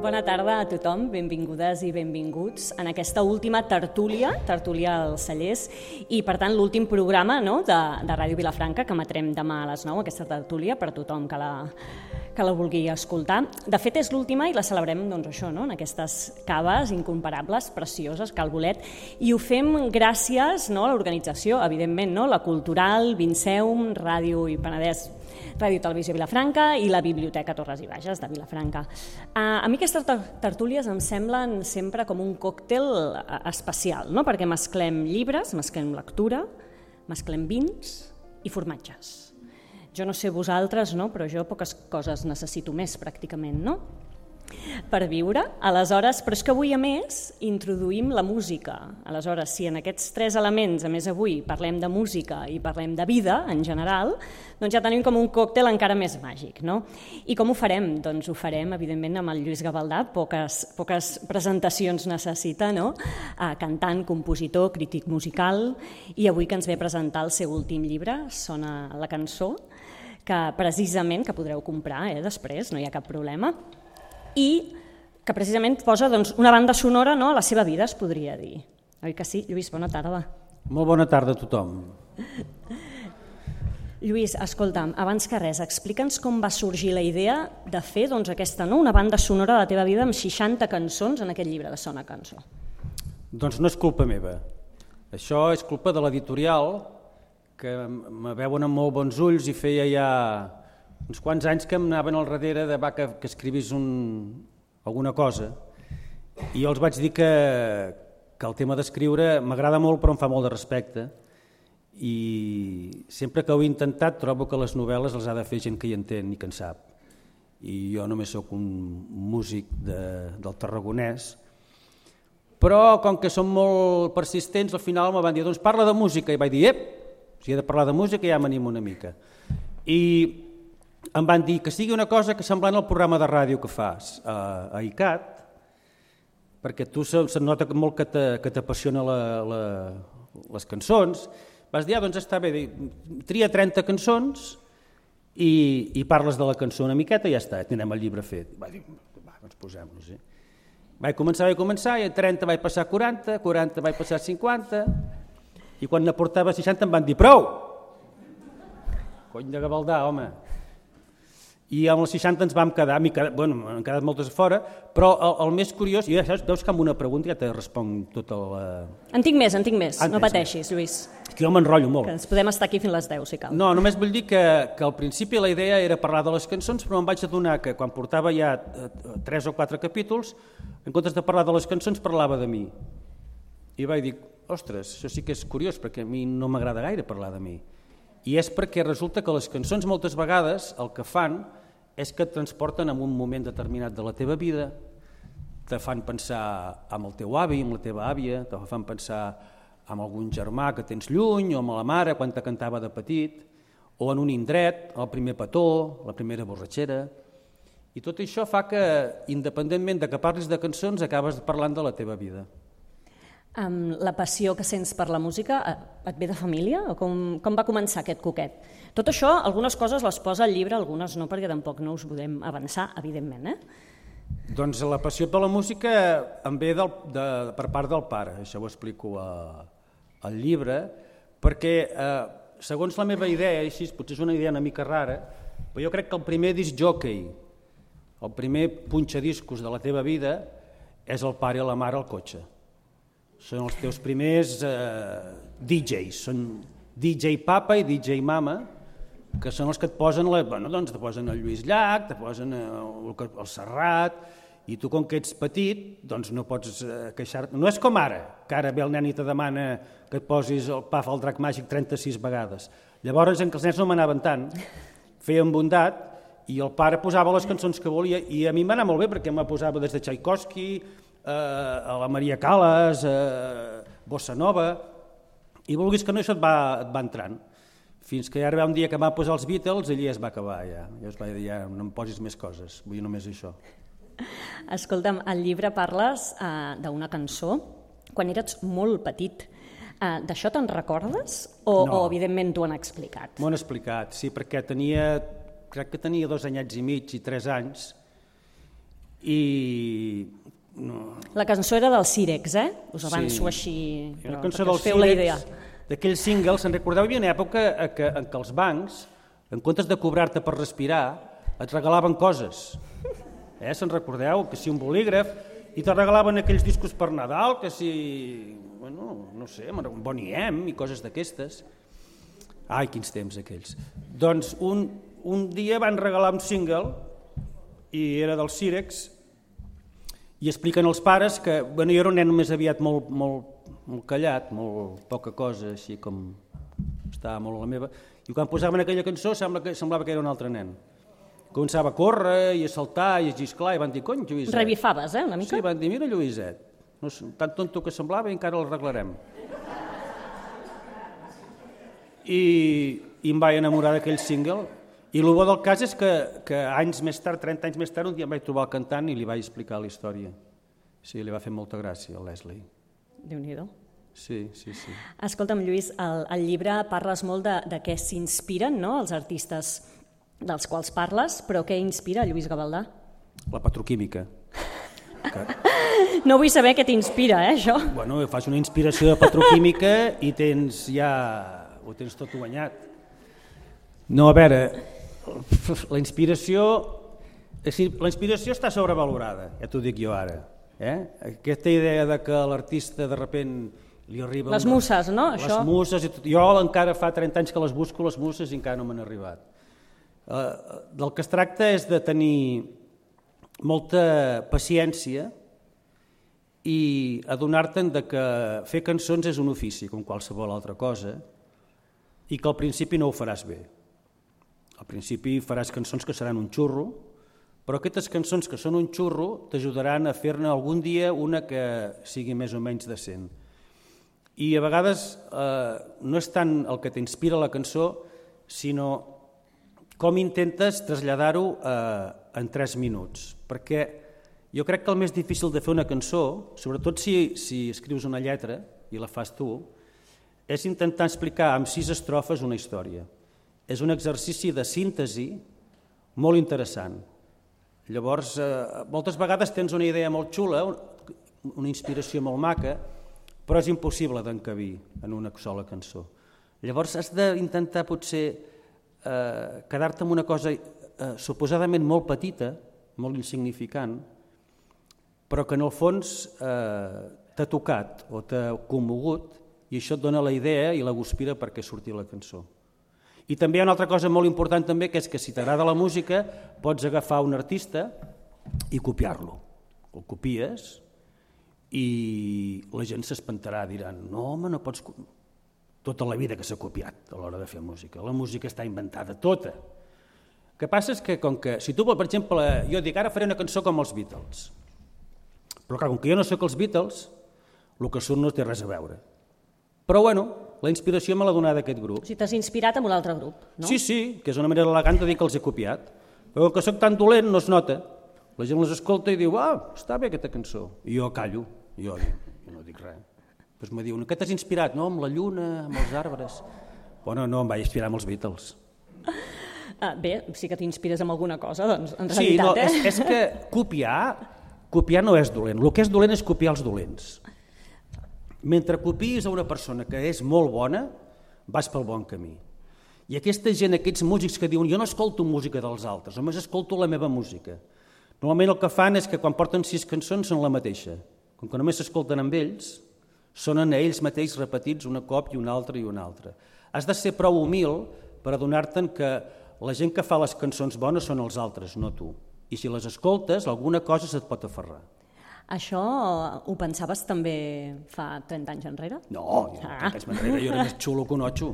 Bona tarda a tothom, benvingudes i benvinguts en aquesta última tertúlia als Cellers i per tant l'últim programa de Ràdio Vilafranca que emetrem demà a les 9, aquesta tertúlia per a tothom que la vulgui escoltar. De fet és l'última i la celebrem en aquestes caves incomparables, precioses, Cal Bolet, i ho fem gràcies a l'organització, evidentment, la Cultural, Vinceum, Ràdio i Penedès, Ràdio Televisió Vilafranca i la Biblioteca Torres i Bages de Vilafranca. A mi aquestes tertúlies em semblen sempre com un còctel especial, perquè mesclem llibres, mesclem lectura, mesclem vins i formatges. Jo no sé vosaltres, però jo poques coses necessito més pràcticament, per viure. Aleshores, però és que avui a més introduïm la música. Aleshores, si en aquests tres elements, a més avui, parlem de música i parlem de vida en general, doncs ja tenim com un còctel encara més màgic. I com ho farem? Doncs ho farem, evidentment, amb el Lluís Gavaldà, poques presentacions necessita, cantant, compositor, crític musical, i avui que ens ve a presentar el seu últim llibre, Sona la cançó, que precisament que podreu comprar després, no hi ha cap problema, i que precisament posa una banda sonora a la seva vida, es podria dir. Oi que sí? Lluís, bona tarda. Molt bona tarda a tothom. Lluís, escolta'm, abans que res, explica'ns com va sorgir la idea de fer aquesta, una banda sonora de la teva vida amb 60 cançons en aquest llibre de Sona Cançó. Doncs no és culpa meva. Això és culpa de l'editorial, que me veuen amb molt bons ulls i feia ja uns quants anys que em anaven al darrere de que escrivis alguna cosa, i jo els vaig dir que el tema d'escriure m'agrada molt però em fa molt de respecte, i sempre que ho he intentat trobo que les novel·les les ha de fer gent que hi entén i que en sap, i jo només sóc un músic del Tarragonès, però com que són molt persistents al final me van dir, doncs parla de música, i vaig dir, si he de parlar de música ja m'animo una mica, i em van dir que sigui una cosa que semblant al programa de ràdio que fas a ICAT, perquè tu se't nota molt que t'apassiona les cançons. Vas dir, doncs està bé, tria 30 cançons i parles de la cançó una miqueta i ja està, tindrem el llibre fet. Vaig dir, doncs posem-nos. Vaig començar, i a 30 vaig passar a 40, 40 vaig passar a 50, i quan ne portava 60 em van dir, prou! Cony de Gavaldà, home! I amb els 60 ens vam quedar, han quedat moltes a fora, però el més curiós, i ja saps, veus que amb una pregunta ja te responc tota la... En tinc més, no pateixis, Lluís. Que jo m'enrotllo molt. Que ens podem estar aquí fins les 10, si cal. No, només vull dir que al principi la idea era parlar de les cançons, però em vaig adonar que quan portava ja 3 o 4 capítols, en comptes de parlar de les cançons, parlava de mi. I vaig dir, ostres, això sí que és curiós, perquè a mi no m'agrada gaire parlar de mi. I és perquè resulta que les cançons moltes vegades el que fan és que et transporten en un moment determinat de la teva vida, te fan pensar en el teu avi, amb la teva àvia, te fan pensar en algun germà que tens lluny, o amb la mare quan te cantava de petit, o en un indret, el primer petó, la primera borratxera, i tot això fa que, independentment de que parlis de cançons, acabes parlant de la teva vida. La passió que sents per la música et ve de família? O com va començar aquest coquet? Tot això, algunes coses les posa al llibre, algunes no, perquè tampoc no us podem avançar, evidentment. Doncs la passió per la música em ve per part del pare, això ho explico al llibre, perquè segons la meva idea, així, potser és una idea una mica rara, però jo crec que el primer disc jockey, el primer punxadiscos de la teva vida és el pare i la mare al cotxe. Són els teus primers DJs, són DJ Papa i DJ Mama, que són els que et posen, te posen el Lluís Llach, te posen el Serrat, i tu com que ets petit doncs no pots queixar-te. No és com ara, que ara ve el nen i te demana que et posis el Paf al Drac Màgic 36 vegades. Llavors, en què els nens no m'anaven tant, feien bondat, i el pare posava les cançons que volia, i a mi m'anava molt bé perquè me posava des de Tchaikovsky, a la Maria Callas, Bossa Nova, i vulguis que no, això et va entrant. Fins que ja arriba un dia que va posar els Beatles, allí es va acabar ja. Jo es vaig dir, ja no em posis més coses, vull només això. Escolta'm, al llibre parles d'una cançó quan eres molt petit. D'això te'n recordes? O evidentment t'ho han explicat? M'ho han explicat, sí, perquè crec que tenia 2 anyets i mig i 3 anys, I... No. La cançó era del Sírex, Us avanço així, Una però cançó perquè del us feu la idea. D'aquells singles, se'n recordeu, hi havia una època en què els bancs, en comptes de cobrar-te per respirar, et regalaven coses. Se'n recordeu? Que si un bolígraf, i te regalaven aquells discos per Nadal, que si, bueno, no sé, un Bonnie M i coses d'aquestes. Ai, quins temps aquells. Doncs un dia van regalar un single, i era del Sírex, i expliquen els pares que, bueno, jo era un nen més aviat molt callat, molt poca cosa, així com estava molt a la meva, i quan posaven aquella cançó semblava que era un altre nen. Començava a córrer i a saltar i a xisclar, i van dir, cony, Lluïset. Revifaves, una mica? Sí, van dir, mira Lluïset, tan tonto que semblava i encara l'arreglarem. I em vaig enamorar d'aquell single, i el bo del cas és que anys més tard, 30 anys més tard, un dia em vaig trobar el cantant i li vaig explicar la història. Sí, li va fer molta gràcia al Leslie. Déu-n'hi-do. Sí. Escolta'm, Lluís, al llibre parles molt de què s'inspiren, no?, els artistes dels quals parles, però què inspira Lluís Gavaldà? La petroquímica. No vull saber què t'inspira, això. Bueno, fas una inspiració de petroquímica i ho tens tot guanyat. No, a veure, la inspiració està sobrevalorada, ja t'ho dic jo ara. Aquesta idea de que l'artista de sobte li arriba... Les muses, no? Les muses, jo encara fa 30 anys que les busco, les muses, i encara no m'han arribat. Del que es tracta és de tenir molta paciència i adonar-te'n que fer cançons és un ofici, com qualsevol altra cosa, i que al principi no ho faràs bé. Al principi faràs cançons que seran un xurro, però aquestes cançons que són un xurro t'ajudaran a fer-ne algun dia una que sigui més o menys decent. I a vegades no és tant el que t'inspira la cançó, sinó com intentes traslladar-ho en 3 minuts. Perquè jo crec que el més difícil de fer una cançó, sobretot si escrius una lletra i la fas tu, és intentar explicar en 6 estrofes una història. És un exercici de síntesi molt interessant. Llavors, moltes vegades tens una idea molt xula, una inspiració molt maca, però és impossible d'encabir en una sola cançó. Llavors has d'intentar potser quedar-te amb una cosa suposadament molt petita, molt insignificant, però que en el fons t'ha tocat o t'ha commogut, i això et dona la idea i la guspira perquè surti la cançó. I també hi ha una altra cosa molt important també, que és que si t'agrada la música pots agafar un artista i copiar-lo. El copies i la gent s'espantarà, diran, no home, no pots... Tota la vida que s'ha copiat a l'hora de fer música. La música està inventada, tota. El que passa és que, com que, si tu, per exemple, jo dic, ara faré una cançó com els Beatles, però clar, com que jo no sóc els Beatles, el que surt no té res a veure. Però bueno, la inspiració me l'ha donat aquest grup. O sigui, t'has inspirat en un altre grup, no? Sí, que és una manera elegant de dir que els he copiat. Però com que sóc tan dolent no es nota. La gent les escolta i diu, està bé aquesta cançó. I jo callo, jo no dic res. Després me diuen, què t'has inspirat? No, amb la lluna, amb els arbres. Bueno, no, em vaig inspirar amb els Beatles. Bé, sí que t'inspires en alguna cosa, doncs, en realitat. Sí, és que copiar no és dolent. El que és dolent és copiar els dolents. Mentre copies a una persona que és molt bona, vas pel bon camí. I aquesta gent, aquests músics que diuen jo no escolto música dels altres, només escolto la meva música. Normalment el que fan és que quan porten 6 cançons són la mateixa. Com que només s'escolten amb ells, sonen a ells mateixos repetits una cop i una altra i una altra. Has de ser prou humil per adonar-te'n que la gent que fa les cançons bones són els altres, no tu. I si les escoltes, alguna cosa se't pot aferrar. Això ho pensaves també fa 30 anys enrere? No, 30 anys enrere jo era més xulo que un otxo.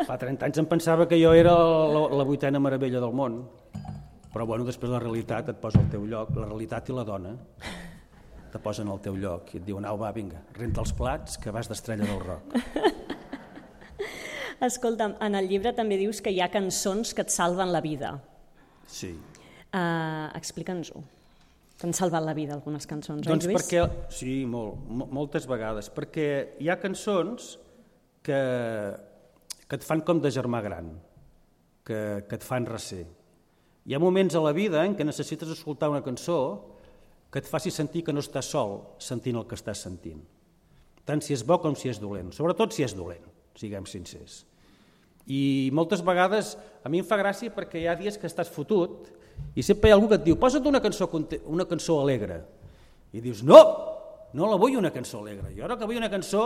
Fa 30 anys em pensava que jo era la 8ª meravella del món. Però bueno, després la realitat et posa al teu lloc, la realitat i la dona te posen al teu lloc i et diuen, au va, vinga, renta els plats que vas d'estrella del rock. Escolta'm, en el llibre també dius que hi ha cançons que et salven la vida. Sí. Explica'ns-ho. T'han salvat la vida algunes cançons, doncs Lluís? Perquè, sí, moltes vegades, perquè hi ha cançons que et fan com de germà gran, que et fan recer. Hi ha moments a la vida en què necessites escoltar una cançó que et faci sentir que no estàs sol sentint el que estàs sentint. Tant si és bo com si és dolent, sobretot si és dolent, siguem sincers. I moltes vegades a mi em fa gràcia perquè hi ha dies que estàs fotut i sempre hi ha algú que et diu posa't una cançó alegre i dius no la vull una cançó alegre, jo ara que vull una cançó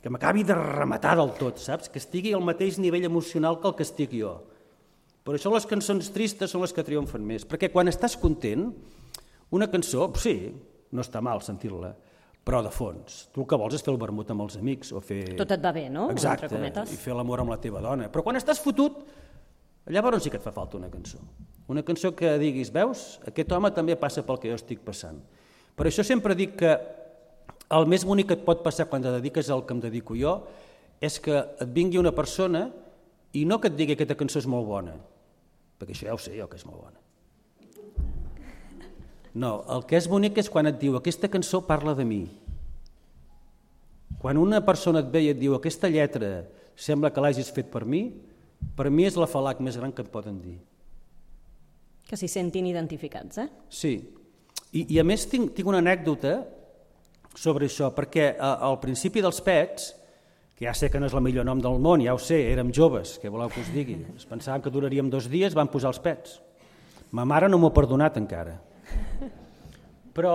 que m'acabi de rematar del tot, saps? Que estigui al mateix nivell emocional que el que estic jo. Per això les cançons tristes són les que triomfen més, perquè quan estàs content, una cançó, sí, no està mal sentir-la, però de fons. Tu el que vols és fer el vermut amb els amics o fer... Tot et va bé, no? Exacte, i fer l'amor amb la teva dona. Però quan estàs fotut, llavors sí que et fa falta una cançó. Una cançó que diguis, veus, aquest home també passa pel que jo estic passant. Per això sempre dic que el més bonic que et pot passar quan te dediques al que em dedico jo és que et vingui una persona i no que et digui que aquesta cançó és molt bona, perquè això ja ho sé jo que és molt bona. No, el que és bonic és quan et diu aquesta cançó parla de mi. Quan una persona et ve i et diu aquesta lletra sembla que l'hagis fet per mi és l'afalac més gran que et poden dir. Que s'hi sentin identificats, eh? Sí, i a més tinc una anècdota sobre això, perquè al principi dels Pets, que ja sé que no és el millor nom del món, ja ho sé, érem joves, què voleu que us digui? Es pensaven que duraríem 2 dies, van posar els Pets. Ma mare no m'ho ha perdonat encara. Però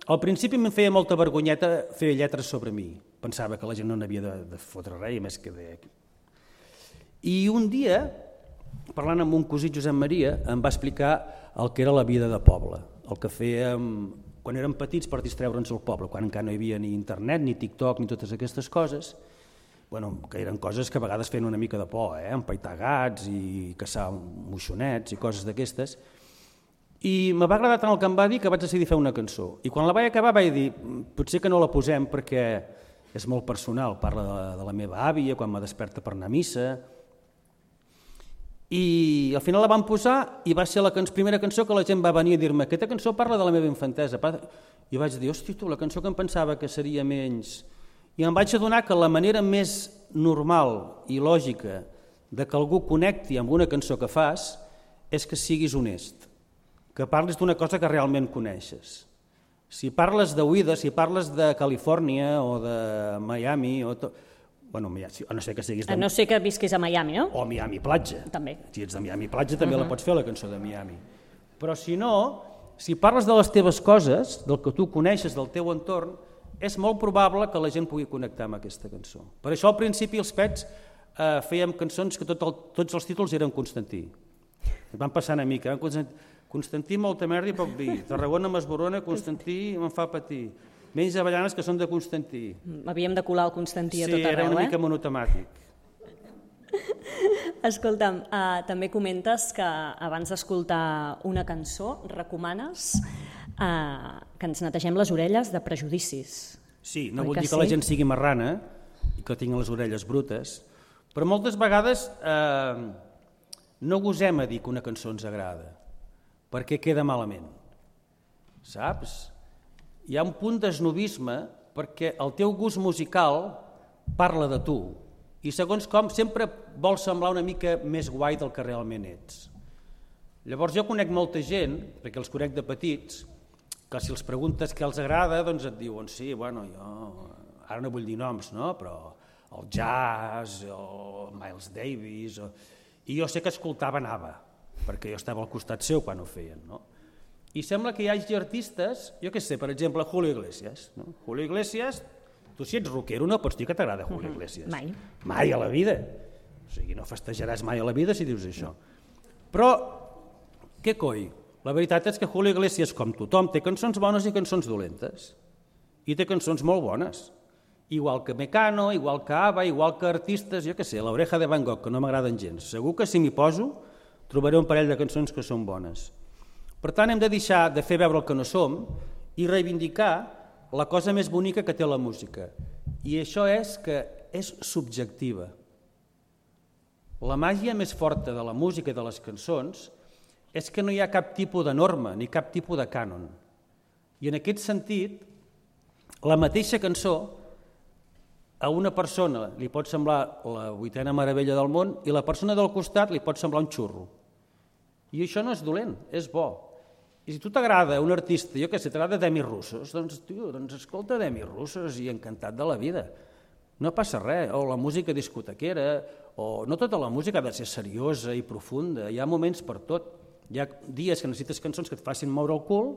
al principi em feia molta vergonyeta fer lletres sobre mi. Pensava que la gent no n'havia de fotre res, més que de... I un dia, parlant amb un cosí Josep Maria, em va explicar el que era la vida de poble, el que fèiem quan érem petits per distreure'ns al poble, quan encara no hi havia ni internet, ni TikTok, ni totes aquestes coses, que eren coses que a vegades feien una mica de por, empaitar gats i caçar moixonets i coses d'aquestes. I me va agradar tant el que em va dir que vaig decidir fer una cançó. I quan la vaig acabar vaig dir, potser que no la posem perquè és molt personal, parla de la meva àvia, quan me desperta per anar a missa. I al final la vam posar i va ser la primera cançó que la gent va venir a dir-me aquesta cançó parla de la meva infantesa. I vaig dir, hosti tu, la cançó que em pensava que seria menys... I em vaig adonar que la manera més normal i lògica de que algú connecti amb una cançó que fas és que siguis honest, que parlis d'una cosa que realment coneixes. Si parles d'oïda, si parles de Califòrnia o de Miami, a no ser que siguis a no ser que visquis a Miami, no? O a Miami Platja. També. Si ets de Miami Platja també la pots fer, la cançó de Miami. Però si no, si parles de les teves coses, del que tu coneixes, del teu entorn, és molt probable que la gent pugui connectar amb aquesta cançó. Per això al principi els Pets fèiem cançons que tots els títols eren Constantí. Ens van passar una mica. Constantí molta merda i poc vi. Tarragona m'esborona, Constantí me'n fa patir. Menys avellanes que són de Constantí. Havíem de colar el Constantí a tot arreu, Sí, era una mica monotemàtic. Escolta'm, també comentes que abans d'escoltar una cançó recomanes que ens netegem les orelles de prejudicis. Sí, no vull dir que la gent sigui marrana i que tingui les orelles brutes, però moltes vegades no gosem a dir que una cançó ens agrada, perquè queda malament. Saps? Hi ha un punt d'esnobisme perquè el teu gust musical parla de tu i segons com sempre vols semblar una mica més guai del que realment ets. Llavors jo conec molta gent, perquè els conec de petits, que si els preguntes què els agrada, doncs et diuen sí, bueno, jo ara no vull dir noms, no? Però el jazz, el Miles Davis, i jo sé que escoltava ABBA, perquè jo estava al costat seu quan ho feien, no? I sembla que hi hagi artistes, jo què sé, per exemple, Julio Iglesias. No? Julio Iglesias, tu si ets rockero no pots dir que t'agrada Julio Iglesias. Mai. Mai a la vida. O sigui, no festejaràs mai a la vida si dius això. Però, què coi? La veritat és que Julio Iglesias, com tothom, té cançons bones i cançons dolentes. I té cançons molt bones. Igual que Mecano, igual que ABBA, igual que artistes, jo què sé, l'Oreja de Van Gogh, que no m'agraden gens. Segur que si m'hi poso trobaré un parell de cançons que són bones. Per tant, hem de deixar de fer veure el que no som i reivindicar la cosa més bonica que té la música. I això és que és subjectiva. La màgia més forta de la música i de les cançons és que no hi ha cap tipus de norma ni cap tipus de cànon. I en aquest sentit, la mateixa cançó a una persona li pot semblar la 8ª meravella del món i la persona del costat li pot semblar un xurro. I això no és dolent, és bo. I si a tu t'agrada un artista, jo què sé, t'agrada Demis Roussos, doncs escolta Demis Roussos i encantat de la vida. No passa res, o la música discotequera, o no tota la música ha de ser seriosa i profunda, hi ha moments per tot. Hi ha dies que necessites cançons que et facin moure el cul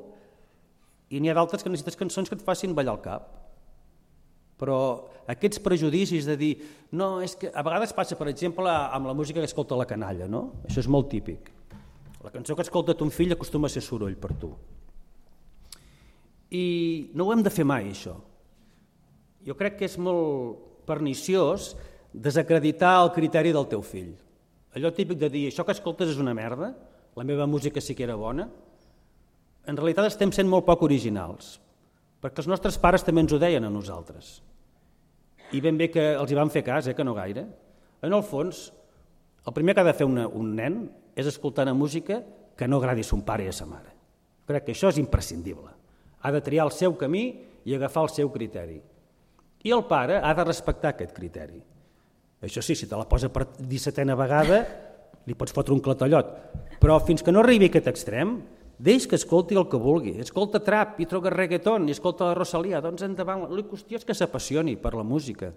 i n'hi ha d'altres que necessites cançons que et facin ballar el cap. Però aquests prejudicis de dir, no, és que a vegades passa, per exemple, amb la música que escolta la canalla, no? Això és molt típic. La cançó que escolta ton fill acostuma a ser soroll per tu. I no ho hem de fer mai, això. Jo crec que és molt perniciós desacreditar el criteri del teu fill. Allò típic de dir, això que escoltes és una merda, la meva música sí que era bona, en realitat estem sent molt poc originals, perquè els nostres pares també ens ho deien a nosaltres. I ben bé que els hi van fer cas, que no gaire. En el fons, el primer que ha de fer un nen és escoltar una música que no agradi a son pare i a sa mare. Crec que això és imprescindible. Ha de triar el seu camí i agafar el seu criteri. I el pare ha de respectar aquest criteri. Això sí, si te la posa per 17a vegada, li pots fotre un clatallot. Però fins que no arribi a aquest extrem, deix que escolti el que vulgui. Escolta trap i troca reggaeton i escolta la Rosalía, doncs endavant. La qüestió és que s'apassioni per la música.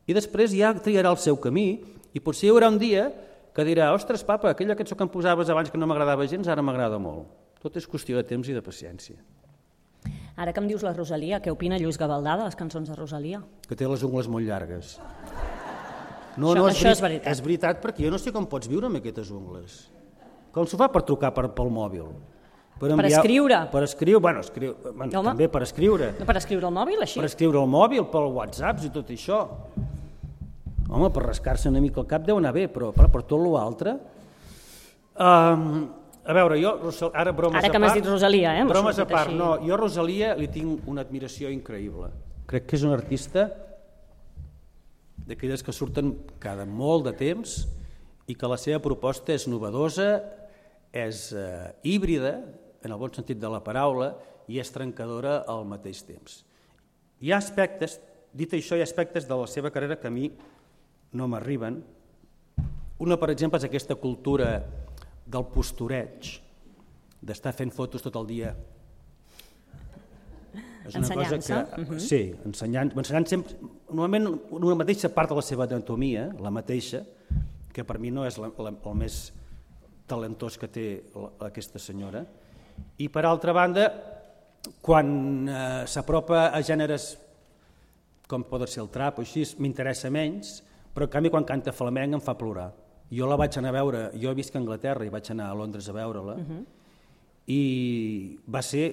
I després ja triarà el seu camí i potser hi haurà un dia que dirà, ostres, papa, aquella cançó que em posaves abans que no m'agradava gens, ara m'agrada molt. Tot és qüestió de temps i de paciència. Ara que em dius la Rosalía, què opina Lluís Gavaldà de les cançons de Rosalía? Que té les ungles molt llargues. Això és veritat. És veritat, perquè jo no sé com pots viure amb aquestes ungles. Com s'ho fa per trucar pel mòbil? Per escriure. Per escriure, també per escriure. No per escriure al mòbil, així? Per escriure al mòbil, pel WhatsApp i tot això. Home, per rascar-se una mica el cap deu anar bé, però per tot l'altre... A veure, jo, ara bromes a part... Ara que m'has dit Rosalía, bromes a part, no, jo a Rosalía li tinc una admiració increïble. Crec que és una artista d'aquelles que surten cada molt de temps i que la seva proposta és novedosa, és híbrida, en el bon sentit de la paraula, i és trencadora al mateix temps. Hi ha aspectes, dit això, hi ha aspectes de la seva carrera que a mi no m'arriben. Una, per exemple, és aquesta cultura del postureig, d'estar fent fotos tot el dia. És una cosa que, sí, ensenyant sempre, normalment una mateixa part de la seva anatomia, la mateixa, que per mi no és el més talentós que té aquesta senyora, i per altra banda, quan s'apropa a gèneres com pot ser el trap o així, m'interessa menys, però en canvi quan canta flamenc em fa plorar. Jo la vaig anar a veure, jo visc a Anglaterra i vaig anar a Londres a veure-la, i va ser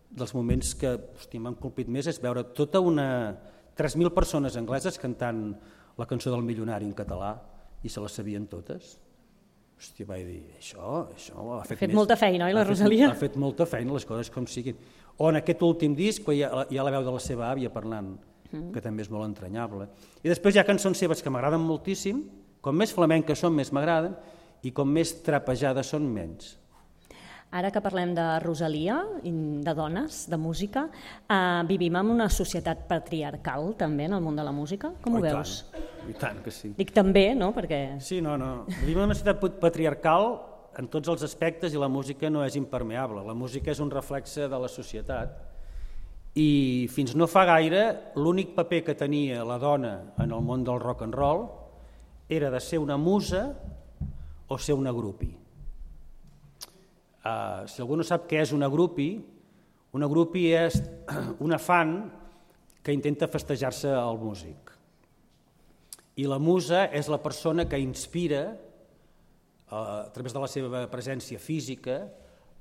dels moments que m'han colpit més, és veure tota 3.000 persones angleses cantant la cançó del Milionari en català i se la sabien totes. Hòstia, vaig dir, això ha fet molta feina, oi, la Rosalía? Ha fet molta feina, les coses com siguin. O en aquest últim disc, hi ha la veu de la seva àvia parlant, que també és molt entranyable. I després hi ha cançons seves que m'agraden moltíssim, com més flamenques són més m'agraden, i com més trapejades són menys. Ara que parlem de Rosalía, de dones, de música, vivim en una societat patriarcal també en el món de la música? Com ho veus? I tant que sí. Dic també, no? Perquè... Sí, no. Vivim en una societat patriarcal en tots els aspectes i la música no és impermeable. La música és un reflexe de la societat i fins no fa gaire l'únic paper que tenia la dona en el món del rock and roll era de ser una musa o ser una groupie. Si algú no sap què és una groupie és una fan que intenta festejar-se al músic. I la musa és la persona que inspira, a través de la seva presència física,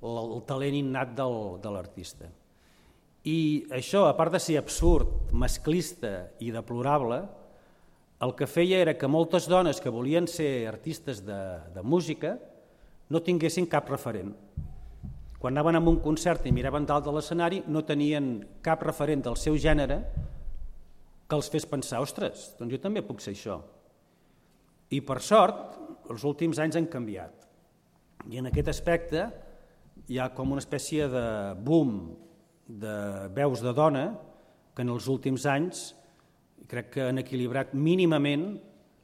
el talent innat de l'artista. I això, a part de ser absurd, masclista i deplorable, el que feia era que moltes dones que volien ser artistes de música no tinguessin cap referent. Quan anaven a un concert i miraven dalt de l'escenari no tenien cap referent del seu gènere que els fes pensar, ostres, doncs jo també puc ser això. I per sort, els últims anys han canviat. I en aquest aspecte hi ha com una espècie de boom de veus de dona que en els últims anys crec que han equilibrat mínimament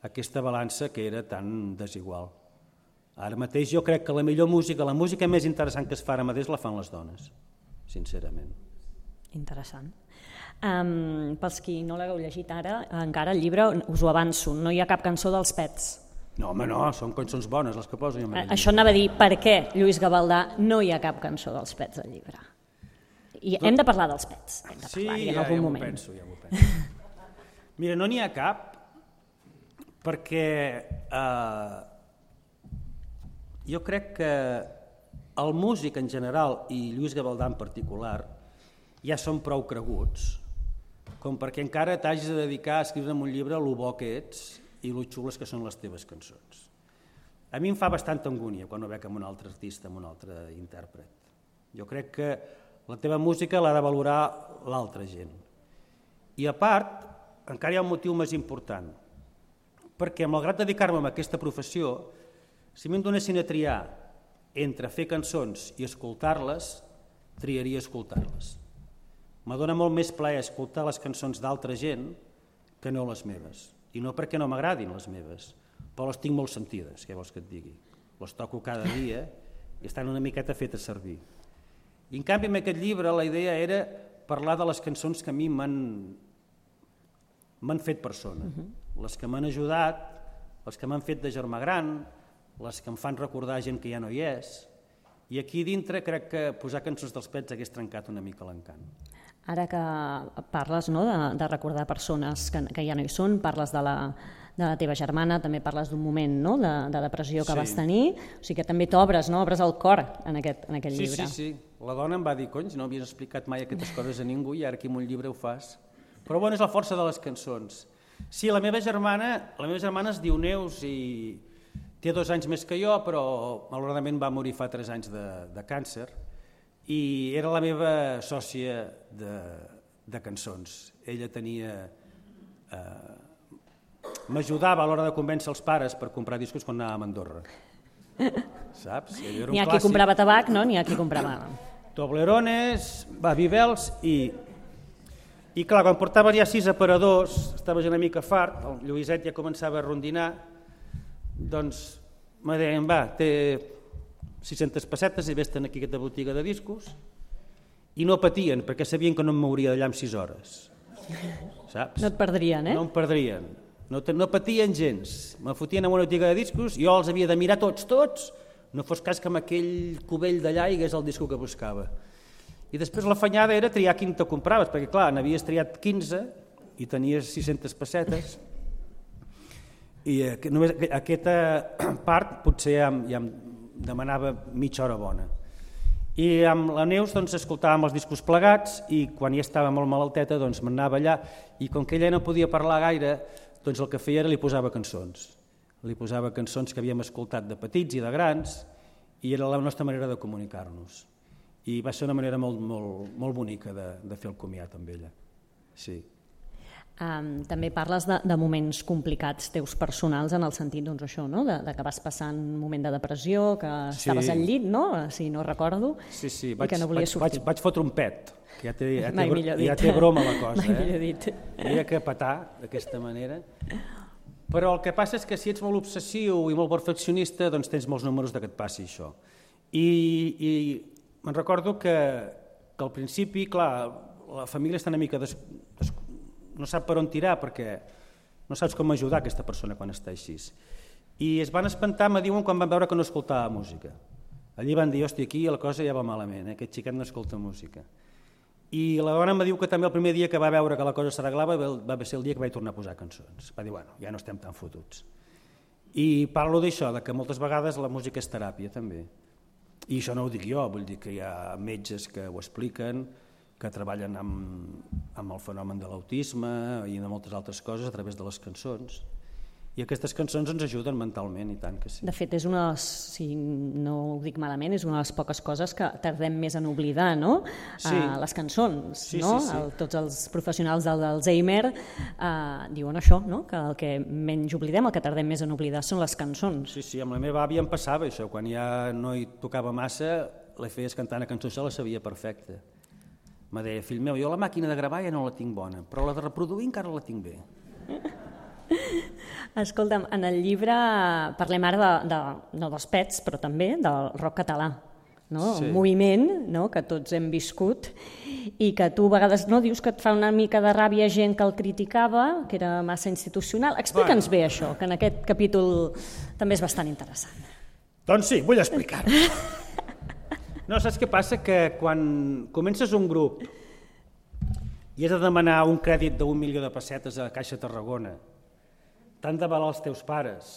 aquesta balança que era tan desigual. Ara mateix jo crec que la millor música, la música més interessant que es fa ara mateix la fan les dones, sincerament. Interessant. Pels qui no l'hagueu llegit ara, encara el llibre, us ho avanço, no hi ha cap cançó dels Pets. No, home, no, són cançons bones les que poso jo. Això anava a dir, per què, Lluís Gavaldà, no hi ha cap cançó dels Pets al llibre? I hem de parlar dels Pets, hem de parlar-hi en algun moment. Sí, ja m'ho penso. Mira, no n'hi ha cap, perquè jo crec que el músic en general, i Lluís Gavaldà en particular, ja són prou creguts, com perquè encara t'hagis de dedicar a escriure en un llibre lo bo que ets i lo xules que són les teves cançons. A mi em fa bastanta angúnia quan ho veig amb un altre artista, amb un altre intèrpret. Jo crec que la teva música l'ha de valorar l'altra gent. I a part, encara hi ha un motiu més important, perquè malgrat dedicar-me a aquesta professió, si m'hem donessin a triar entre fer cançons i escoltar-les, triaria escoltar-les. M'adona molt més plaer escoltar les cançons d'altra gent que no les meves. I no perquè no m'agradin les meves, però les tinc molt sentides, què vols que et digui? Les toco cada dia i estan una miqueta fetes servir. I en canvi, en aquest llibre, la idea era parlar de les cançons que a mi m'han fet persona, les que m'han ajudat, les que m'han fet de germà gran, les que em fan recordar gent que ja no hi és. I aquí dintre crec que posar cançons dels Pets hagués trencat una mica l'encant. Ara que parles de recordar persones que ja no hi són, parles de la teva germana, també parles d'un moment de depressió que vas tenir, o sigui que també t'obres, obres el cor en aquest llibre. Sí. La dona em va dir, cony, no havies explicat mai aquestes coses a ningú i ara aquí en un llibre ho fas. Però bueno, és la força de les cançons. Sí, la meva germana es diu Neus i té 2 anys més que jo, però malauradament va morir fa 3 anys de càncer. I era la meva sòcia de cançons. Ella m'ajudava a l'hora de convèncer els pares per comprar discos quan anàvem a Andorra. Saps? N'hi ha qui comprava tabac, no? N'hi ha qui comprava... Toblerones, Vivels i clar, quan portaves ja 6 aparadors, estaves una mica fart, el Lluïset ja començava a rondinar, doncs me deien, va, té 600 pessetes i vés-te'n aquí a aquesta botiga de discos, i no patien, perquè sabien que no em mouria d'allà en 6 hores. Saps? No et perdrien, eh? No em perdrien. No patien gens. Me fotien en una botiga de discos, jo els havia de mirar tots, no fos cas que amb aquell cubell d'allà hi hagués el disco que buscava. I després l'afanyada era triar quin te compraves, perquè clar, n'havies triat 15 i tenies 600 pessetes, i només aquesta part potser ja em demanava mitja hora bona. I amb la Neus escoltàvem els discos plegats i quan ja estava molt malalteta m'anava allà i com que ella no podia parlar gaire, el que feia era li posava cançons. Li posava cançons que havíem escoltat de petits i de grans i era la nostra manera de comunicar-nos. I va ser una manera molt bonica de fer el comiat amb ella. Sí. També parles de moments complicats teus personals en el sentit això, de que vas passant un moment de depressió, que estaves al llit, si no recordo, i que no volies sortir. Vaig fotre un pet, que ja té broma la cosa. Mai millor dit. Havia que petar d'aquesta manera. Però el que passa és que si ets molt obsessiu i molt perfeccionista, doncs tens molts números que et passi això. I me'n recordo que al principi, clar, la família està una mica no sap per on tirar perquè no saps com ajudar aquesta persona quan està així. I es van espantar, me diuen, quan van veure que no escoltava música. Allí van dir, hòstia, aquí la cosa ja va malament, aquest xiquet no escolta música. I la dona me diu que també el primer dia que va veure que la cosa s'arreglava va ser el dia que vaig tornar a posar cançons. Va dir, bueno, ja no estem tan fotuts. I parlo d'això, que moltes vegades la música és teràpia també. I això no ho dic jo, vull dir que hi ha metges que ho expliquen, que treballen amb el fenomen de l'autisme i de moltes altres coses a través de les cançons. I aquestes cançons ens ajuden mentalment, i tant que sí. De fet, és una, si no ho dic malament, és una de les poques coses que tardem més en oblidar, no? Sí. Les cançons, sí, no? Sí. Tots els professionals d'Alzheimer diuen això, no? Que el que menys oblidem, el que tardem més en oblidar són les cançons. Sí, amb la meva àvia em passava això, quan ja no hi tocava massa, la feies cantar una cançó, se la sabia perfecta. Me deia, fill meu, jo la màquina de gravar ja no la tinc bona, però la de reproduir encara la tinc bé. Escolta'm, en el llibre parlem ara no dels pets, però també del rock català. No? Sí. Un moviment, no? Que tots hem viscut i que tu a vegades no dius que et fa una mica de ràbia gent que el criticava, que era massa institucional. Explica'ns bé això, que en aquest capítol també és bastant interessant. Doncs sí, vull explicar-ho. No, saps què passa? Que quan comences un grup i has de demanar un crèdit d'1 milió de pessetes a Caixa Tarragona, t'han d'avalar els teus pares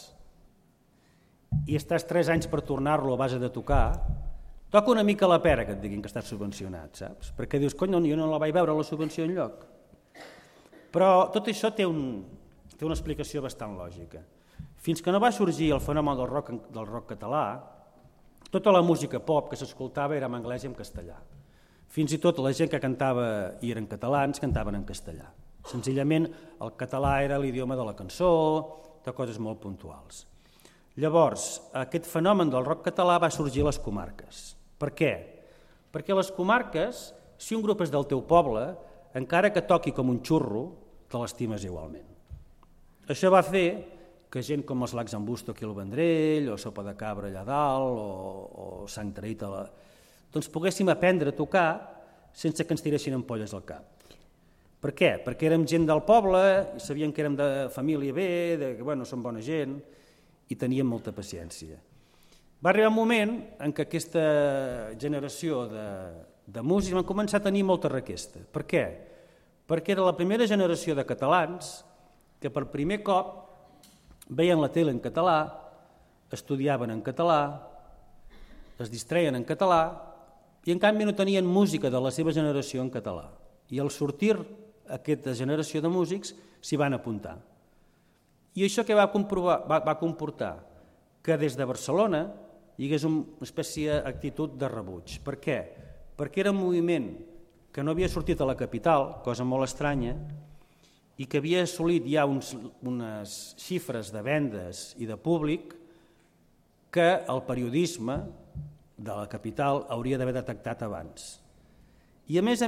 i estàs 3 anys per tornar-lo a base de tocar, toca una mica la pera que et diguin que estàs subvencionat, saps? Perquè dius, cony, jo no la vaig veure la subvenció enlloc. Però tot això té una explicació bastant lògica. Fins que no va sorgir el fenomen del rock català, tota la música pop que s'escoltava era en anglès i en castellà. Fins i tot la gent que cantava i eren catalans cantaven en castellà. Senzillament el català era l'idioma de la cançó, de coses molt puntuals. Llavors, aquest fenomen del rock català va sorgir a les comarques. Per què? Perquè a les comarques, si un grup és del teu poble, encara que toqui com un xurro, te l'estimes igualment. Això va fer que gent com els Lacs en Busto aquí al Vendrell, o Sopa de Cabra allà dalt, o Sant Traït, doncs poguéssim aprendre a tocar sense que ens tiressin ampolles al cap. Per què? Perquè érem gent del poble, i sabíem que érem de família bé, que som bona gent, i teníem molta paciència. Va arribar un moment en què aquesta generació de músics van començar a tenir molta requesta. Per què? Perquè era la primera generació de catalans que per primer cop veien la tele en català, estudiaven en català, es distreien en català i en canvi no tenien música de la seva generació en català. I al sortir aquesta generació de músics s'hi van apuntar. I això què va comportar? Que des de Barcelona hi hagués una espècie d'actitud de rebuig. Per què? Perquè era un moviment que no havia sortit a la capital, cosa molt estranya, i que havia assolit ja unes xifres de vendes i de públic que el periodisme de la capital hauria d'haver detectat abans. I a més,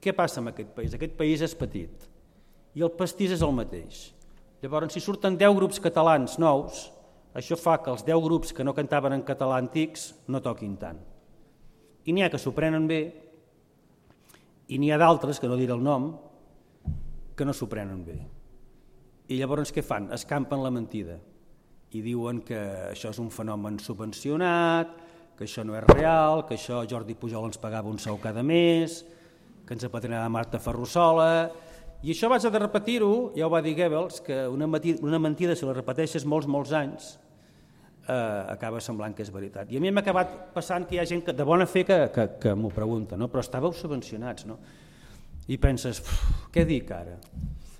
què passa amb aquest país? Aquest país és petit i el pastís és el mateix. Llavors, si surten 10 grups catalans nous, això fa que els 10 grups que no cantaven en català antics no toquin tant. I n'hi ha que s'ho prenen bé i n'hi ha d'altres, que no diré el nom, que no s'ho prenen bé. I llavors què fan? Escampen la mentida i diuen que això és un fenomen subvencionat, que això no és real, que això Jordi Pujol ens pagava un sou cada mes, que ens apadrinava Marta Ferrusola. I això vaig de repetir-ho, ja ho va dir Goebbels, que una mentida, si la repeteixes molts anys, acaba semblant que és veritat. I a mi m'ha acabat passant que hi ha gent de bona fe que m'ho pregunta, no? Però estàveu subvencionats, no? I penses, què dic ara?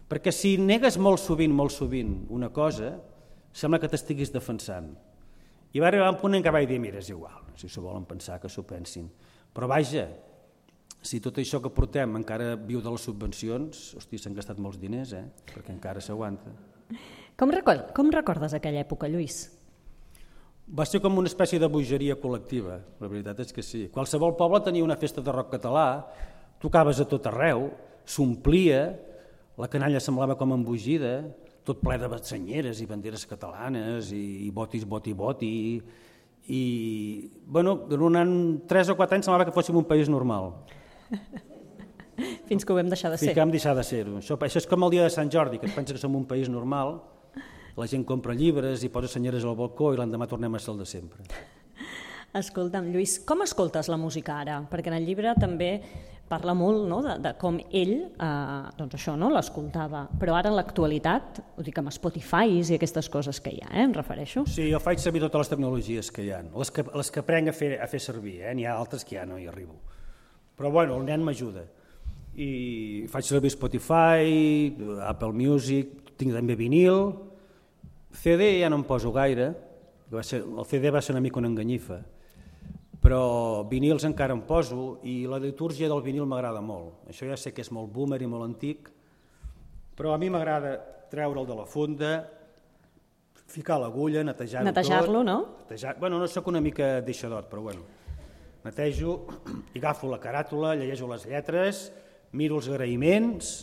Perquè si negues molt sovint una cosa, sembla que t'estiguis defensant. I va arribar un punt en què vaig dir, mira, és igual, si s'ho volen pensar, que s'ho pensin. Però vaja, si tot això que portem encara viu de les subvencions, hosti, s'han gastat molts diners, perquè encara s'aguanta. Com recordes aquella època, Lluís? Va ser com una espècie de bogeria col·lectiva, la veritat és que sí. Qualsevol poble tenia una festa de rock català, tocaves a tot arreu, s'omplia, la canalla semblava com embogida, tot ple de senyeres i banderes catalanes i botis, i durant 3 o 4 anys semblava que fóssim un país normal. Fins que ho vam deixar de ser. Fins que vam deixar de ser-ho. Això és com el dia de Sant Jordi, que et pensa que som un país normal, la gent compra llibres i posa senyeres al balcó i l'endemà tornem a ser el de sempre. Escolta'm, Lluís, com escoltes la música ara? Perquè en el llibre també parla molt, no?, de com ell l'escoltava. Però ara en l'actualitat, ho dic amb Spotify i aquestes coses que hi ha, em refereixo. Sí, jo faig servir totes les tecnologies que hi ha, les que aprenc a fer servir, n'hi ha altres que ja no hi arribo. Però bueno, el nen m'ajuda. I faig servir Spotify, Apple Music, tinc també vinil, CD ja no em poso gaire, el CD va ser una mica una enganyifa, però vinils encara em poso i la litúrgia del vinil m'agrada molt. Això ja sé que és molt boomer i molt antic, però a mi m'agrada treure'l de la funda, ficar l'agulla, netejar-ho tot. Netejar-lo, no? Bueno, no sóc una mica deixadot, però bueno. Netejo i agafo la caràtula, llegeixo les lletres, miro els agraïments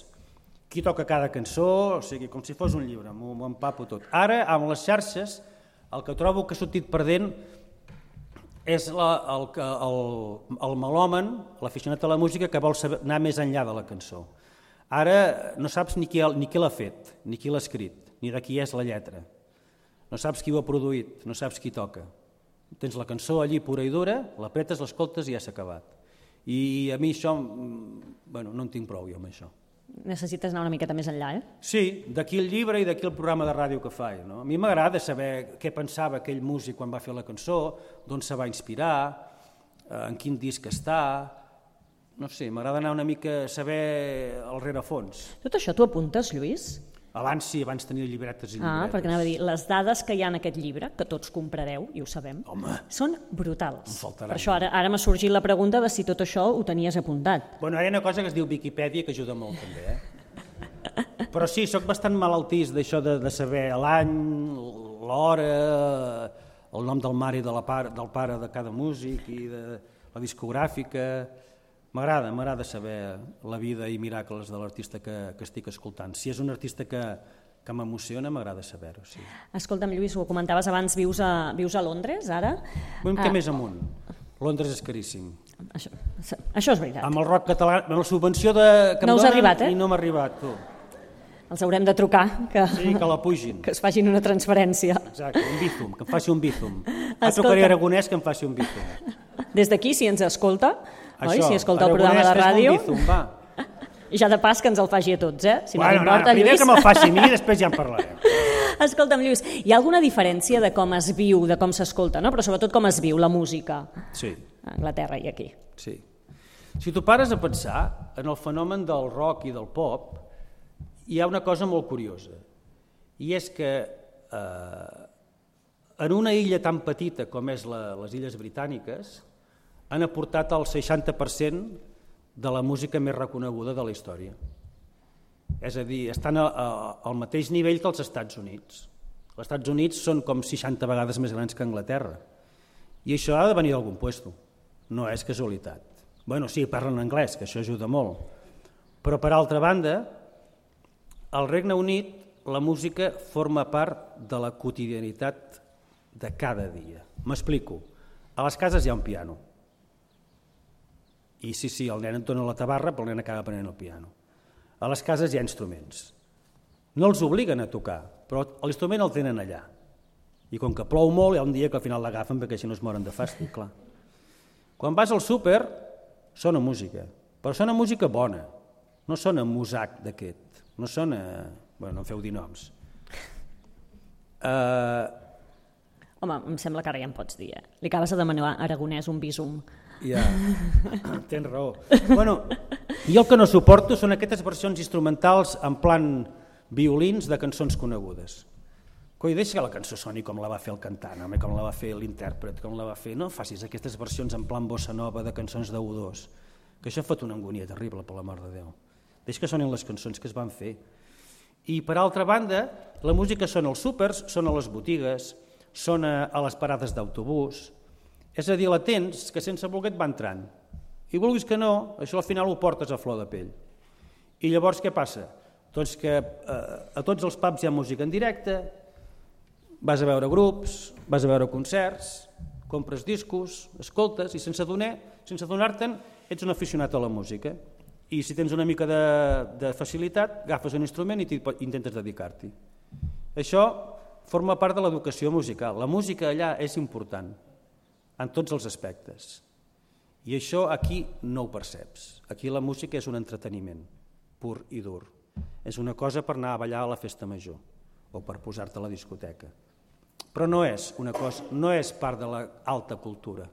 qui toca cada cançó, o sigui, com si fos un llibre, m'ho empapo tot. Ara, amb les xarxes, el que trobo que ha sortit perdent és el melòman, l'aficionat a la música, que vol anar més enllà de la cançó. Ara no saps ni qui l'ha fet, ni qui l'ha escrit, ni de qui és la lletra. No saps qui ho ha produït, no saps qui toca. Tens la cançó allí pura i dura, l'apretes, l'escoltes i ja s'ha acabat. I a mi això, bueno, no en tinc prou jo amb això. Necessites anar una miqueta més enllà, Sí, d'aquí el llibre i d'aquí el programa de ràdio que faig. No? A mi m'agrada saber què pensava aquell músic quan va fer la cançó, d'on se va inspirar, en quin disc està. No sé, m'agrada anar una mica a saber el rerefons. Tot això t'ho apuntes, Lluís? Abans sí, abans tenia llibretes i llibretes. Perquè anava a dir, les dades que hi ha en aquest llibre, que tots comprareu, i ho sabem, són brutals. Per això ara m'ha sorgit la pregunta de si tot això ho tenies apuntat. Bueno, ara hi ha una cosa que es diu Viquipèdia que ajuda molt també, Però sí, sóc bastant malaltís d'això de saber l'any, l'hora, el nom del mare i del pare de cada músic i de la discogràfica. M'agrada saber la vida i miracles de l'artista que estic escoltant. Si és un artista que m'emociona, m'agrada saber-ho, sí. Escolta'm, Lluís, ho comentaves abans, vius a Londres, ara? Què més amunt? Londres és caríssim. Això és veritat. Amb el rock català, amb la subvenció que em donen, i no m'ha arribat, tu. Els haurem de trucar. Sí, que la pugin. Que es facin una transferència. Exacte, un Bizum, que em faci un Bizum. Trucaré a Aragonès que em faci un Bizum. Des d'aquí, si ens escolta, oi? Si escolta el programa de ràdio, Bizum, va. I ja de pas que ens el faci a tots, Si no t'importa, Lluís. Primer que me'l faci a mi i després ja en parlarem. Escolta'm, Lluís, hi ha alguna diferència de com es viu, de com s'escolta, no? Però sobretot com es viu la música a Anglaterra i aquí? Sí. Si tu pares a pensar en el fenomen del rock i del pop, hi ha una cosa molt curiosa, i és que en una illa tan petita com és les Illes Britàniques han aportat el 60% de la música més reconeguda de la història. És a dir, estan al mateix nivell que els Estats Units. Els Estats Units són com 60 vegades més grans que Anglaterra. I això ha de venir d'algun puesto. No és casualitat. Bueno, sí, parlen anglès, que això ajuda molt. Però, per altra banda, al Regne Unit la música forma part de la quotidianitat de cada dia. M'explico. A les cases hi ha un piano. I sí, el nen entona la tabarra, però el nen acaba aprenent el piano. A les cases hi ha instruments. No els obliguen a tocar, però l'instrument el tenen allà. I com que plou molt, hi ha un dia que al final l'agafen perquè si no es moren de fàstic, clar. Quan vas al súper, sona música, però sona música bona, no sona Muzak d'aquest, no sona... Bueno, no em feu dir noms. Home, em sembla que ara ja em pots dir, Li acabes de demanar a Aragonès un Bizum. Ja, tens raó. Bueno, jo el que no suporto són aquestes versions instrumentals en plan violins de cançons conegudes. Coi, deixa que la cançó soni com la va fer el cantant, com la va fer l'intèrpret, com la va fer... No facis aquestes versions en plan bossa nova de cançons de U2, que això fot una angúnia terrible, per l'amor de Déu. Deixa que sonin les cançons que es van fer. I, per altra banda, la música sona als súpers, sona a les botigues, sona a les parades d'autobús. És a dir, la tens que sense voler et va entrant. I vulguis que no, això al final ho portes a flor de pell. I llavors què passa? Doncs que a tots els pubs hi ha música en directe, vas a veure grups, vas a veure concerts, compres discos, escoltes i sense adonar-te'n ets un aficionat a la música. I si tens una mica de facilitat, agafes un instrument i intentes dedicar-t'hi. Això forma part de l'educació musical. La música allà és important en tots els aspectes. I això aquí no ho perceps. Aquí la música és un entreteniment pur i dur. És una cosa per anar a ballar a la festa major o per posar-te a la discoteca. Però no és una cosa, no és part de l'alta cultura.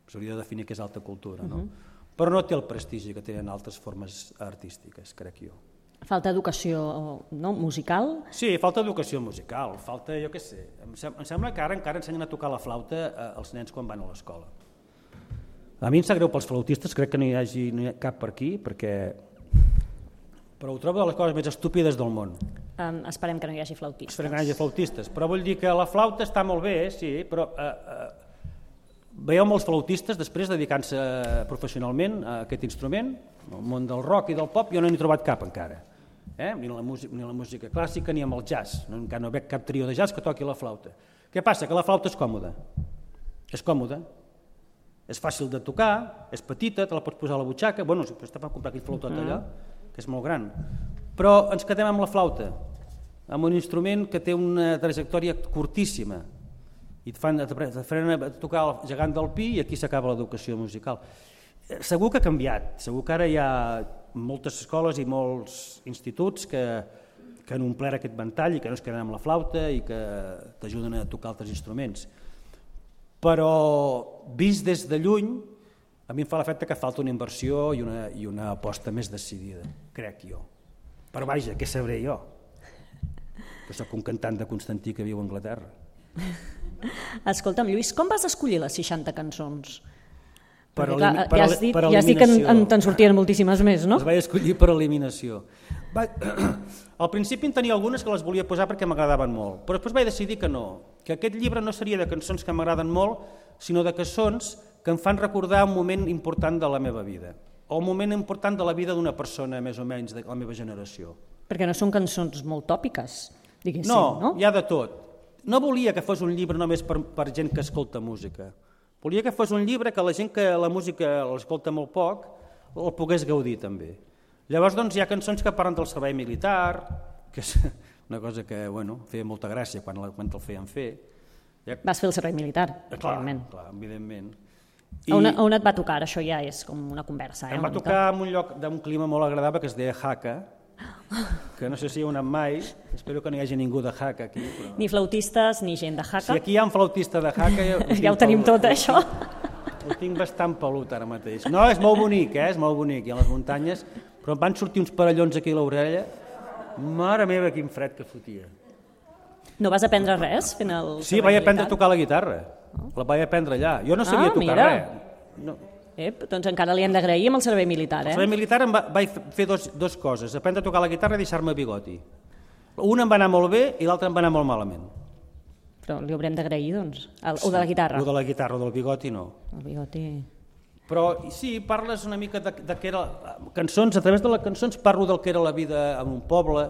S'hauria de definir què és alta cultura, no? Però no té el prestigi que tenen altres formes artístiques, crec jo. Falta educació musical? Sí, falta educació musical, falta, jo què sé, em sembla que ara encara ensenyen a tocar la flauta als nens quan van a l'escola. A mi em sap greu pels flautistes, crec que no hi hagi cap per aquí, però ho trobo de les coses més estúpides del món. Esperem que no hi hagi flautistes. Esperem que no hi hagi flautistes, però vull dir que la flauta està molt bé, sí, però veieu molts flautistes després dedicant-se professionalment a aquest instrument el món del rock i del pop jo no n'he trobat cap encara, ni la música clàssica ni amb el jazz, encara no veig cap trio de jazz que toqui la flauta. Què passa? Que la flauta és còmoda, és fàcil de tocar, és petita, te la pots posar a la butxaca, bueno, està per comprar aquell flautot allò, que és molt gran, però ens quedem amb la flauta, amb un instrument que té una trajectòria curtíssima, i et fan tocar el gegant del pi i aquí s'acaba l'educació musical. Segur que ha canviat, segur que ara hi ha moltes escoles i molts instituts que han omplert aquest ventall i que no es queden amb la flauta i que t'ajuden a tocar altres instruments. Però vist des de lluny, a mi em fa l'efecte que falta una inversió i una aposta més decidida, crec jo. Però vaja, què sabré jo? Que soc un cantant de Constantí que viu a Anglaterra. Escolta'm, Lluís, com vas escollir les 60 cançons? Per Ja has dit que te'n sortien moltíssimes més, no? Les vaig escollir per eliminació. Al principi en tenia algunes que les volia posar perquè m'agradaven molt, però després vaig decidir que no, que aquest llibre no seria de cançons que m'agraden molt, sinó de cançons que em fan recordar un moment important de la meva vida, o un moment important de la vida d'una persona més o menys de la meva generació. Perquè no són cançons molt tòpiques, diguéssim, no? No, hi ha de tot. No volia que fos un llibre només per gent que escolta música. Volia que fos un llibre que la gent que la música l'escolta molt poc el pogués gaudir també. Llavors doncs, hi ha cançons que parlen del servei militar, que és una cosa que feia molta gràcia quan el feien fer. Vas fer el servei militar, evidentment. Clar, evidentment. On et va tocar? Això ja és com una conversa. Em va tocar en un lloc d'un clima molt agradable que es deia Jaca, que no sé si hi heu anat mai, espero que no hi hagi ningú de Jaca aquí. Però... Ni flautistes ni gent de Jaca. Si aquí hi ha un flautista de Jaca... Ja ho tenim tot, això. Ho tinc bastant pelut ara mateix. No, és molt bonic, és molt bonic, hi ha les muntanyes, però em van sortir uns parellons aquí a l'orella. Mare meva, quin fred que fotia. No vas aprendre res fent el... Sí, vaig aprendre a tocar la guitarra. La vaig aprendre allà. Jo no sabia tocar res. No. Doncs encara li hem d'agrair amb el servei militar. El servei militar vaig fer dos coses, aprendre a tocar la guitarra i deixar-me bigoti. Una em va anar molt bé i l'altra em va anar molt malament. Però li haurem d'agrair, doncs, o de la guitarra. O de la guitarra, o del bigoti no. El bigoti... Però sí, parles una mica de què era... Cançons, a través de les cançons parlo del que era la vida en un poble,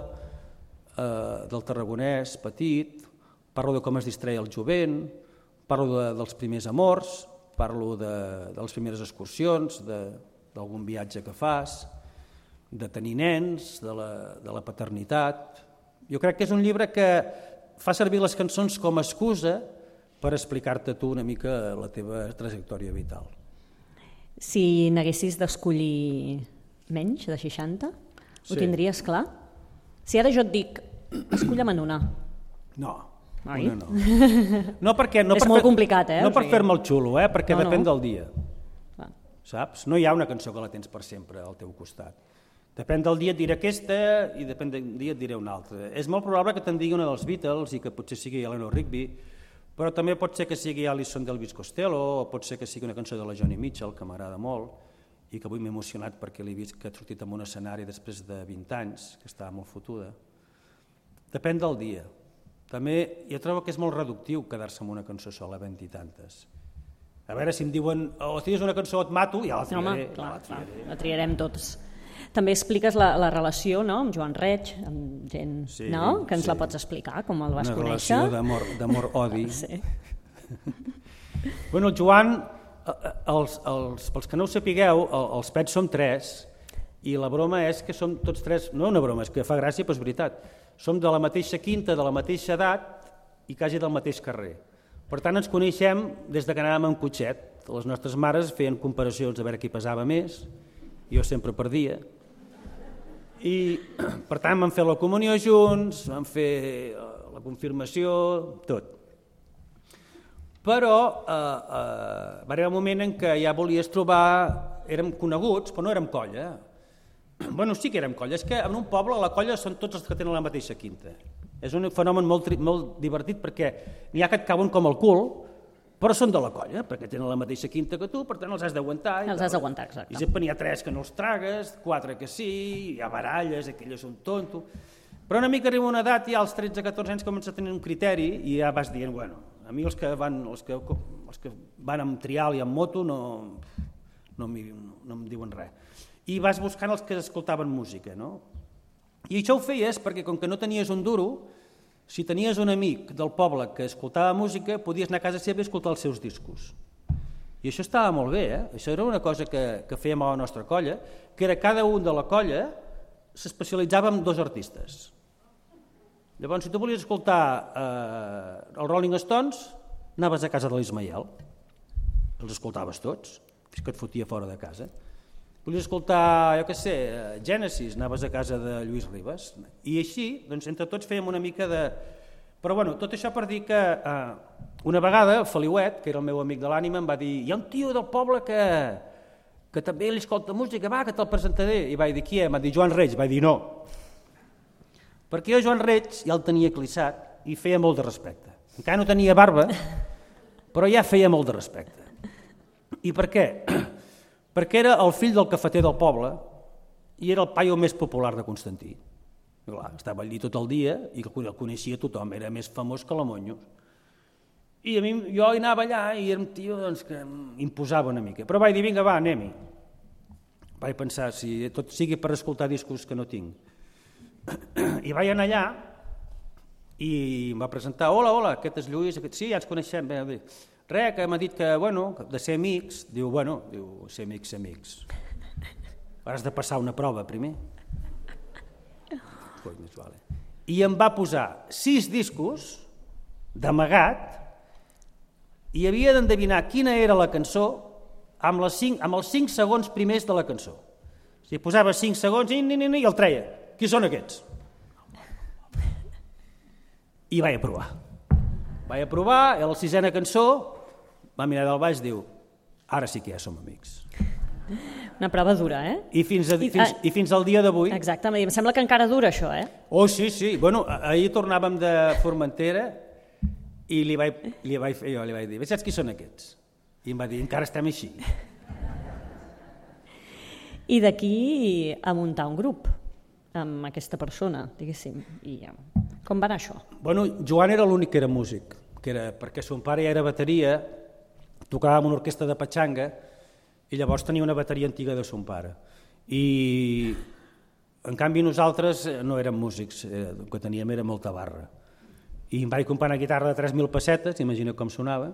del Tarragonès petit, parlo de com es distreia el jovent, parlo dels primers amors, parlo de les primeres excursions, d'algun viatge que fas, de tenir nens, de la paternitat. Jo crec que és un llibre que fa servir les cançons com a excusa per explicar-te tu una mica la teva trajectòria vital. Si n'haguessis d'escollir menys de 60, ho tindries clar? Si ara jo et dic, esculla'm en una. No. Oi? No, perquè, és molt complicat, No per fer-me el xulo, perquè depèn del dia. Saps? No hi ha una cançó que la tens per sempre al teu costat. Depèn del dia et diré aquesta i depèn del dia et diré una altra. És molt probable que te'n digui una dels Beatles i que potser sigui Eleanor Rigby, però també pot ser que sigui Alison d'Elvis Costello o pot ser que sigui una cançó de la Joni Mitchell que m'agrada molt i que avui m'he emocionat perquè l'he vist que ha sortit en un escenari després de 20 anys, que estava molt fotuda. Depèn del dia. També jo trobo que és molt reductiu quedar-se amb una cançó sola 20 i tantes. A veure, si em diuen o tries una cançó o et mato, ja la triaré. Home, clar, la triarem tots. També expliques la relació, no?, amb Joan Reig, amb gent, no?, que ens la pots explicar, com el vas conèixer. Una relació d'amor-odi. Sí. Bueno, el Joan, pels que no ho sapigueu, els pets som 3 i la broma és que som tots 3, no una broma, és que fa gràcia, però és veritat. Som de la mateixa quinta, de la mateixa edat i quasi del mateix carrer. Per tant, ens coneixem des que anàvem en cotxet. Les nostres mares feien comparacions a veure qui pesava més, jo sempre perdia. I, per tant, vam fer la comunió junts, vam fer la confirmació, tot. Però va arribar un moment en què ja volies trobar... Érem coneguts, però no érem colla. Bueno, sí que érem colla. És que en un poble la colla són tots els que tenen la mateixa quinta. És un fenomen molt divertit perquè n'hi ha que et cauen com el cul, però són de la colla, perquè tenen la mateixa quinta que tu, per tant els has d'aguantar. Els has d'aguantar, exacte. I sempre n'hi ha 3 que no els tragues, 4 que sí, hi ha baralles, aquell és un tonto... Però una mica arriba una edat i als 13-14 anys comença a tenir un criteri i ja vas dient, bueno, a mi els que van amb trial i amb moto no em diuen res. i vas buscant els que escoltaven música, no? I això ho feies perquè, com que no tenies un duro, si tenies un amic del poble que escoltava música, podies anar a casa seva i escoltar els seus discos. I això estava molt bé, Això era una cosa que fèiem a la nostra colla, que era cada un de la colla s'especialitzava en 2 artistes. Llavors, si tu volies escoltar els Rolling Stones, anaves a casa de l'Ismael, els escoltaves tots, fins que et fotia fora de casa. Volies escoltar, jo què sé, Genesis, anaves a casa de Lluís Ribas. I així, doncs, entre tots fèiem una mica de... Però bueno, tot això per dir que una vegada el Feliuet, que era el meu amic de l'ànima, em va dir: hi ha un tio del poble que també li escolta música, va, que te'l presentaré. I vaig dir: qui és? Em va dir: Joan Reig. Vaig dir: no. Perquè jo Joan Reig ja el tenia clissat i feia molt de respecte. Encara no tenia barba, però ja feia molt de respecte. I per què? Perquè era el fill del cafeter del poble i era el paio més popular de Constantí. Clar, estava allí tot el dia i el coneixia tothom, era més famós que la Monyo. I a mi, jo anava allà i era un tio doncs, que imposava una mica. Però vaig dir: vinga, va, anem-hi. Vaig pensar, si tot sigui per escoltar discos que no tinc. I vaig anar allà i em va presentar: hola, aquest és Lluís, sí, ja ens coneixem. Res, que m'ha dit que, bueno, de ser amics. Diu, ser amics. Has de passar una prova primer. I em va posar 6 discos d'amagat i havia d'endevinar quina era la cançó amb els 5 segons primers de la cançó. O sigui, posava 5 segons i el treia. Qui són aquests? I vaig aprovar. A la 6a cançó va mirar del baix i diu: ara sí que ja som amics. Una prova dura, I fins al dia d'avui... Exacte, em sembla que encara dura això, Oh, sí. Bueno, ahir tornàvem de Formentera i li vaig dir: saps qui són aquests? I em va dir: encara estem així. I d'aquí a muntar un grup amb aquesta persona, diguéssim. I com va anar això? Bueno, Joan era l'únic que era músic, perquè son pare ja era bateria, tocava amb una orquestra de patxanga, i llavors tenia una bateria antiga de son pare. I en canvi nosaltres no érem músics, el que teníem era molta barra. I em vaig comprar una guitarra de 3.000 pessetes, imagina com sonava.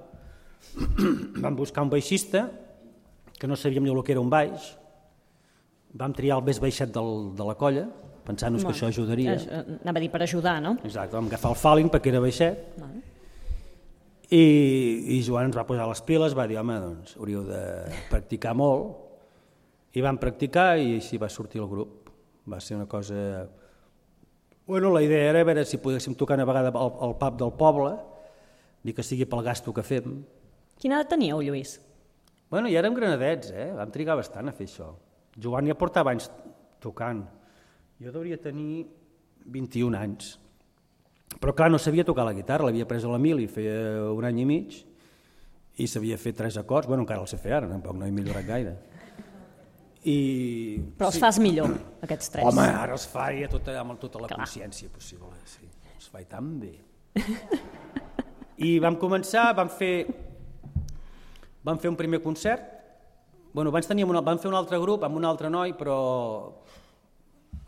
Vam buscar un baixista, que no sabíem ni el que era un baix. Vam triar el més baixet de la colla, pensant-nos que això ajudaria. Anava a dir per ajudar, no? Exacte, vam agafar el Falling perquè era baixet. I Joan ens va posar les piles, va dir: home, doncs hauríeu de practicar molt. I vam practicar i així va sortir el grup. Va ser una cosa... Bueno, la idea era veure si poguéssim tocar una vegada al pub del poble, ni que sigui pel gasto que fem. Quina edat teníeu, Lluís? Bueno, ja érem granadets, vam trigar bastant a fer això. Joan ja portava anys tocant. Jo devia tenir 21 anys. Però clar, no sabia tocar la guitarra, l'havia pres a l'Emili, feia 1 any i mig, i sabia fer 3 acords, bueno, encara els sé fer ara, tampoc no he millorat gaire. Però els fas millor, aquests 3. Home, ara els faria amb tota la consciència possible, sí. Els faig tan bé. I vam començar, vam fer un primer concert, bueno, abans vam fer un altre grup amb un altre noi, però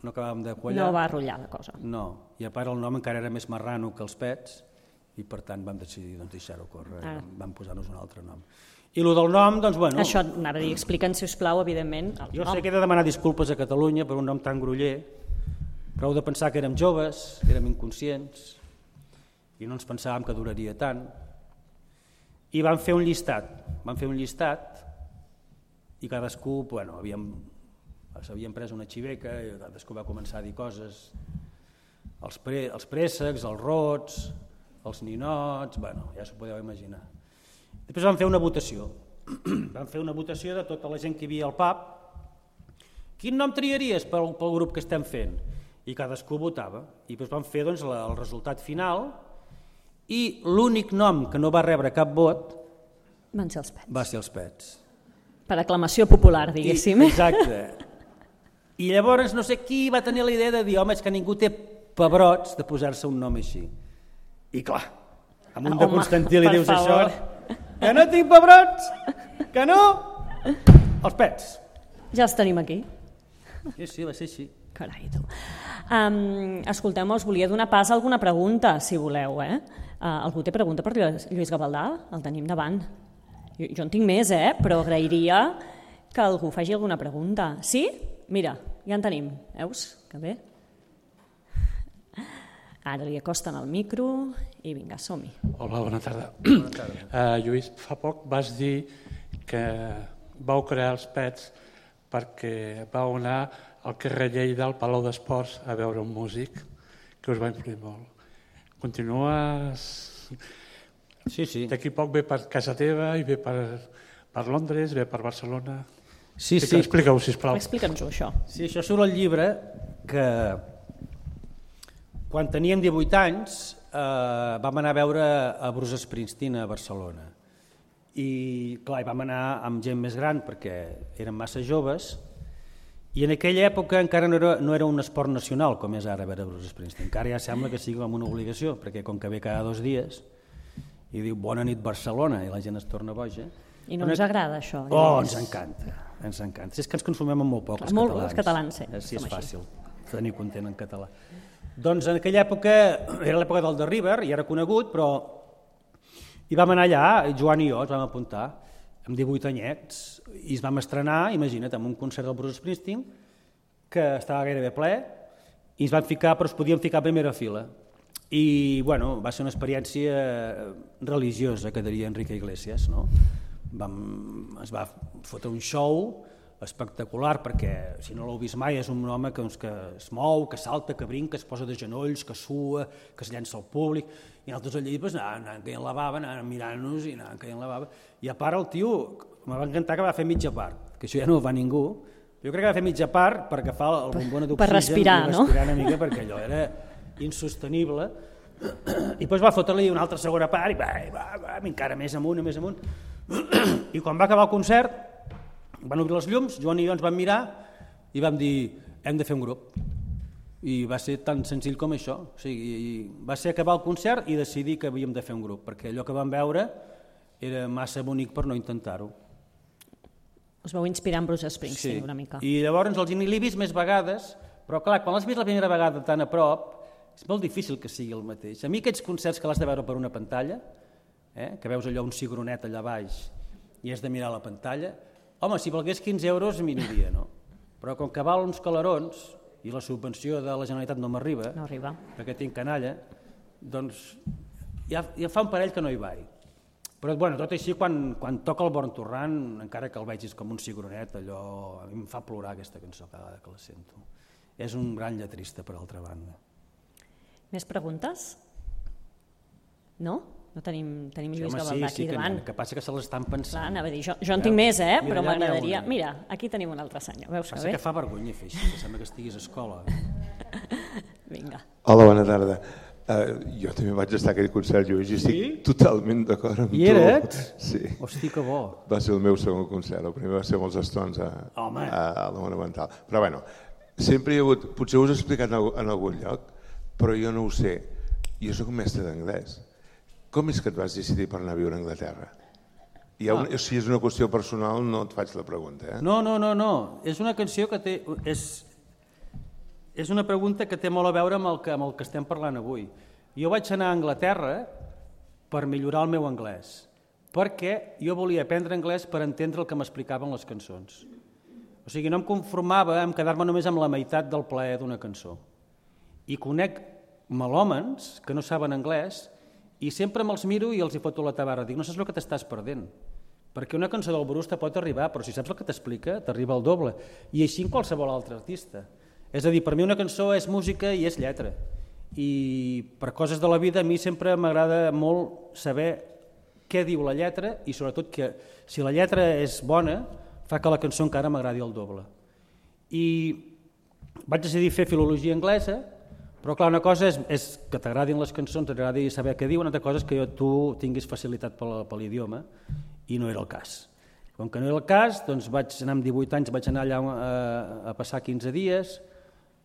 no acabàvem de quallar. No va rotllar la cosa. No, i a part el nom encara era més marrano que els Pets i per tant vam decidir deixar-ho córrer, vam posar-nos un altre nom. I el del nom, doncs bueno... Això anava a dir, explica'ns, sisplau, evidentment, el nom. Jo sé que he de demanar disculpes a Catalunya per un nom tan groller, però heu de pensar que érem joves, érem inconscients i no ens pensàvem que duraria tant. I vam fer un llistat i cadascú, bueno, s'havien pres una xiveca i cadascú va començar a dir coses, els préssecs, els rots, els ninots, bueno, ja s'ho podeu imaginar. Després vam fer una votació. Vam fer una votació de tota la gent que hi havia al pub. Quin nom triaries pel grup que estem fent? I cadascú votava. I després vam fer doncs, el resultat final i l'únic nom que no va rebre cap vot va ser els Pets. Per aclamació popular, diguéssim. Exacte. I llavors no sé qui va tenir la idea de dir: home, és que ningú té pebrots de posar-se un nom així. I clar, amb un de Constantí li dius això... Que no tinc pebrots! Que no! Els Pets. Ja els tenim aquí. Sí, va ser així. Carai, tu. Escolteu-me, us volia donar pas a alguna pregunta, si voleu, Algú té pregunta per Lluís Gavaldà? El tenim davant. Jo en tinc més, però agrairia que algú faci alguna pregunta. Sí? Mira, ja en tenim. Veus? Que bé. Ara li acosten el micro i vinga, som-hi. Hola, bona tarda. Lluís, fa poc vas dir que vau crear els Pets perquè vau anar al carrer Lleida, al Palau d'Esports, a veure un músic que us va influir molt. Continues... Sí. D'aquí poc ve per casa teva i ve per Londres, ve per Barcelona... Sí. Explica-ho, sisplau. Explica'ns-ho, això. Sí, això surt al llibre que quan teníem 18 anys vam anar a veure a Bruce Springsteen a Barcelona. I clar, vam anar amb gent més gran perquè érem massa joves i en aquella època encara no era un esport nacional com és ara veure Bruce Springsteen. Encara ja sembla que sigui com una obligació perquè com que ve cada 2 dies i diu bona nit Barcelona i la gent es torna boja. I no ens agrada això? Oh, ens encanta. És que ens consumem amb molt poc, els catalans. Sí, és fàcil tenir content en català. Doncs en aquella època, era l'època del The River, i era conegut, però hi vam anar allà, Joan i jo ens vam apuntar, amb 18 anyets, i ens vam estrenar, imagina't, en un concert del Bruce Springsteen, que estava gairebé ple, i ens vam ficar, però es podíem ficar a primera fila. I, bueno, va ser una experiència religiosa, que diria Enrique Iglesias, no? Es va fotre un show espectacular perquè si no l'heu vist mai és un home que es mou, que salta, que brinca, es posa de genolls, que sua, que es llença al públic i nosaltres allà anàvem caient la bava, anàvem mirant-nos i anàvem caient la bava i a part el tio, me va encantar que va fer mitja part, que això ja no ho fa ningú, jo crec que va fer mitja part per agafar el bombona d'oxigen per respirar, i respirar una mica perquè allò era insostenible i després va fotre-li una altra segona part i va encara més amunt i quan va acabar el concert van obrir les llums, Joan i jo ens vam mirar i vam dir hem de fer un grup i va ser tan senzill com això, o sigui, va ser acabar el concert i decidir que havíem de fer un grup perquè allò que vam veure era massa bonic per no intentar-ho. Us vau inspirar en Bruce Springsteen una mica. I llavors els n'hi he vist més vegades, però clar, quan l'has vist la primera vegada tan a prop és molt difícil que sigui el mateix. A mi aquests concerts que l'has de veure per una pantalla, que veus allò un cigronet allà baix i has de mirar la pantalla, home, si valgués 15 euros m'aniria, no? Però com que val uns calarons i la subvenció de la Generalitat no m'arriba, perquè tinc canalla, doncs ja fa un parell que no hi vaig. Però bueno, tot així, quan toca el Born to Run, encara que el vegis com un cigronet, allò a mi em fa plorar aquesta cançó cada vegada que la sento. És un gran lletrista, per altra banda. Més preguntes? No? No tenim Lluís Gavaldà aquí davant. Que passa que se l'estan pensant. Clar, anava a dir, jo en tinc més, però m'agradaria... Mira, aquí tenim un altre senyor, veus que bé? Passa que fa vergonya fer així, que sembla que estiguis a escola. Vinga. Hola, bona tarda. Jo també vaig estar a aquell concert, Lluís, i estic totalment d'acord amb tu. I eres? Sí. Hosti, que bo. Va ser el meu segon concert, el primer va ser amb els Stones a la Monumental. Però bueno, sempre hi ha hagut... Potser us he explicat en algun lloc, però jo no ho sé. Jo soc mestre d'anglès. Com és que et vas decidir per anar a viure a Anglaterra? Si és una qüestió personal, no et faig la pregunta. No. És una canció que té... És una pregunta que té molt a veure amb el que estem parlant avui. Jo vaig anar a Anglaterra per millorar el meu anglès, perquè jo volia aprendre anglès per entendre el que m'explicaven les cançons. O sigui, no em conformava amb quedar-me només amb la meitat del plaer d'una cançó. I conec melòmens que no saben anglès i sempre me'ls miro i els hi foto la tabarra. Dic, no saps el que t'estàs perdent, perquè una cançó del Bruce te pot arribar, però si saps el que t'explica, t'arriba el doble. I així en qualsevol altre artista. És a dir, per mi una cançó és música i és lletra. I per coses de la vida a mi sempre m'agrada molt saber què diu la lletra i sobretot que si la lletra és bona fa que la cançó encara m'agradi el doble. I vaig decidir fer filologia anglesa, però clar, una cosa és que t'agradin les cançons, t'agradi saber què diuen, una altra cosa és que tu tinguis facilitat per l'idioma i no era el cas. Com que no era el cas, doncs vaig anar amb 18 anys, vaig anar allà a passar 15 dies,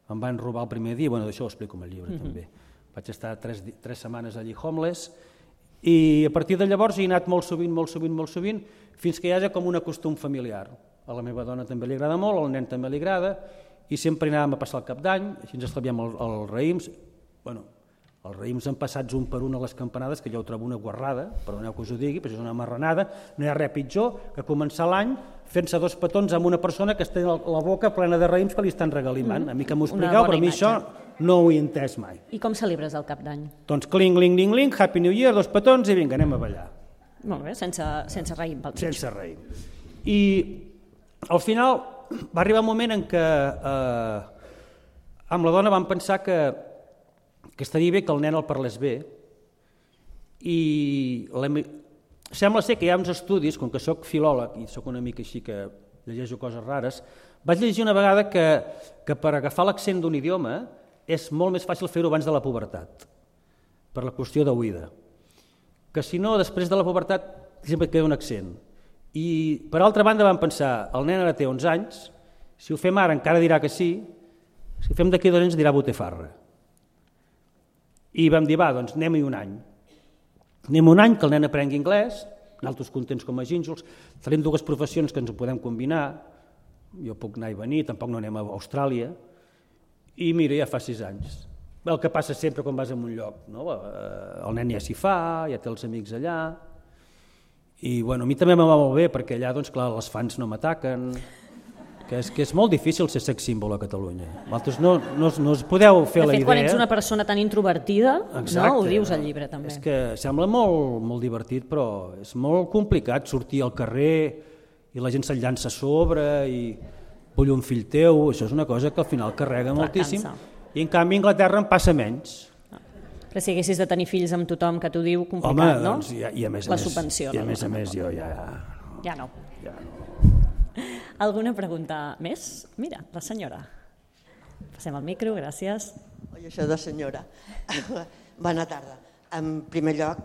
em van robar el primer dia, bueno, d'això ho explico en el llibre també. Vaig estar 3 setmanes allí homeless i a partir de llavors he anat molt sovint, fins que hi ha com un costum familiar. A la meva dona també li agrada molt, al nen també li agrada i sempre anàvem a passar el cap d'any, així ens estalviem els raïms. Bueno, els raïms empassats un per un a les campanades, que jo ho trobo una guarrada, perdoneu que us ho digui, però és una marranada, no hi ha res pitjor que començar l'any fent-se 2 petons amb una persona que té la boca plena de raïms que li estan regalimant. A mi que m'ho expliqueu, però a mi això no ho he entès mai. I com celebres el cap d'any? Doncs cling, ling, ling, ling, Happy New Year, 2 petons i vinga, anem a ballar. Molt bé, sense raïm pel mig. Sense raïm. I al final va arribar un moment en què amb la dona vam pensar que estaria bé que el nen el parlés bé i sembla ser que hi ha uns estudis, com que sóc filòleg i sóc una mica així que llegeixo coses rares, vaig llegir una vegada que per agafar l'accent d'un idioma és molt més fàcil fer-ho abans de la pubertat, per la qüestió d'oïda, que si no després de la pubertat sempre queda un accent. I per altra banda vam pensar, el nen ara té 11 anys, si ho fem ara encara dirà que sí, si ho fem d'aquí 2 anys dirà botifarra. I vam dir, va, doncs anem-hi un any. Anem un any que el nen aprengui anglès, nosaltres contents com a gínjols, farem 2 professions que ens ho podem combinar, jo puc anar i venir, tampoc no anem a Austràlia, i mira, ja fa 6 anys. El que passa sempre quan vas a un lloc, no? El nen ja s'hi fa, ja té els amics allà, i bueno, a mi també em va molt bé, perquè allà, doncs clar, les fans no m'ataquen, que és molt difícil ser sex símbol a Catalunya. Vosaltres no us podeu fer la idea. De fet, quan ets una persona tan introvertida, no, ho dius al llibre també. És que sembla molt divertit, però és molt complicat sortir al carrer i la gent se'n llança a sobre i vull un fill teu, això és una cosa que al final carrega moltíssim. I en canvi a Anglaterra en passa menys. Però si haguessis de tenir fills amb tothom que t'ho diu, complicat, home, no? Doncs, i a més la subvenció. I a més jo ja... Ja no. Alguna pregunta més? Mira, la senyora. Passem al micro, gràcies. Oi, això de senyora. Bona tarda. En primer lloc,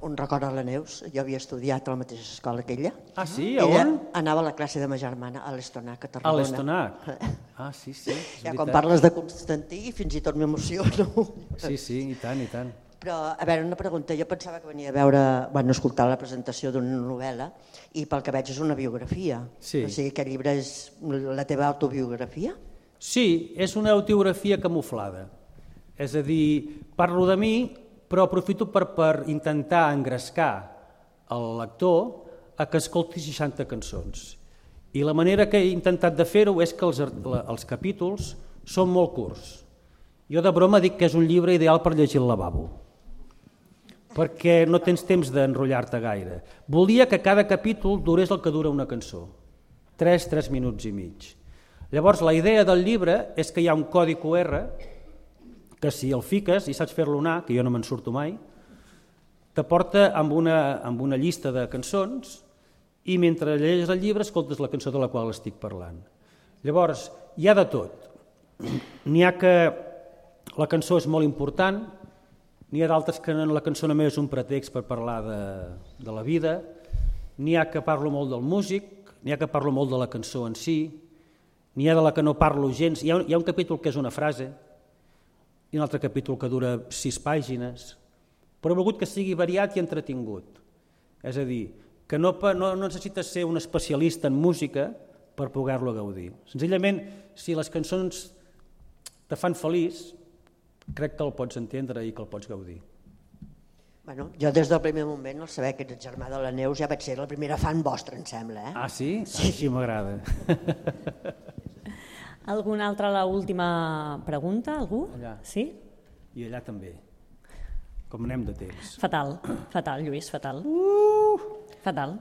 un record a la Neus. Jo havia estudiat a la mateixa escola que ella. Ah, sí? A on? Ella anava a la classe de ma germana, a l'Estonac, a Tarragona. A l'Estonac? Ah, sí. Ja quan parles de Constantí, fins i tot m'emociono. Sí, i tant, i tant. Però, a veure, una pregunta. Jo pensava que venia a veure, escoltar la presentació d'una novel·la i pel que veig és una biografia. Sí. O sigui, aquest llibre és la teva autobiografia? Sí, és una autobiografia camuflada. És a dir, parlo de mi, però aprofito per intentar engrescar el lector a que escolti 60 cançons. I la manera que he intentat de fer-ho és que els capítols són molt curts. Jo de broma dic que és un llibre ideal per llegir al lavabo, perquè no tens temps d'enrotllar-te gaire. Volia que cada capítol durés el que dura una cançó, 3 minuts i mig. Llavors la idea del llibre és que hi ha un codi QR que si el fiques i saps fer-lo anar, que jo no me'n surto mai, te porta amb una llista de cançons i mentre llegeixes el llibre escoltes la cançó de la qual estic parlant. Llavors, hi ha de tot. N'hi ha que la cançó és molt important, n'hi ha d'altres que la cançó només és un pretext per parlar de la vida, n'hi ha que parlo molt del músic, n'hi ha que parlo molt de la cançó en si, n'hi ha de la que no parlo gens. Hi ha un capítol que és una frase, i un altre capítol que dura 6 pàgines, però he volgut que sigui variat i entretingut. És a dir, que no necessites ser un especialista en música per poder-lo gaudir. Senzillament, si les cançons te fan feliç, crec que el pots entendre i que el pots gaudir. Bueno, jo des del primer moment, al saber que ets germà de la Neus, ja vaig ser la primera fan vostra, em sembla. Ah, sí? Sí, així m'agrada. Alguna altra, l'última pregunta? Algú? Allà. Sí? I allà també. Com anem de temps? Fatal, Lluís, fatal. Fatal.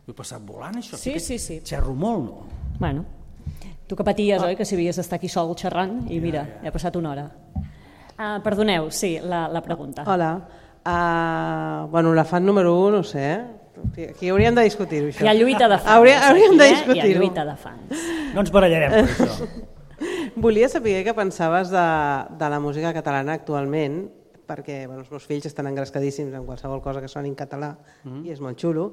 Ho he passat volant, això? Sí. Xerro molt, no? Bueno, tu que paties, oi, que si havies d'estar aquí sol xerrant i mira, ja ha passat una hora. Perdoneu, sí, la pregunta. Hola. La fan número 1, no sé, aquí hauríem de discutir-ho, això. Hi ha lluita de fans. Hauríem de discutir-ho. Hi ha lluita de fans. No ens barallarem per això. Volia saber què pensaves de la música catalana actualment, perquè els meus fills estan engrescadíssims en qualsevol cosa que soni en català i és molt xulo.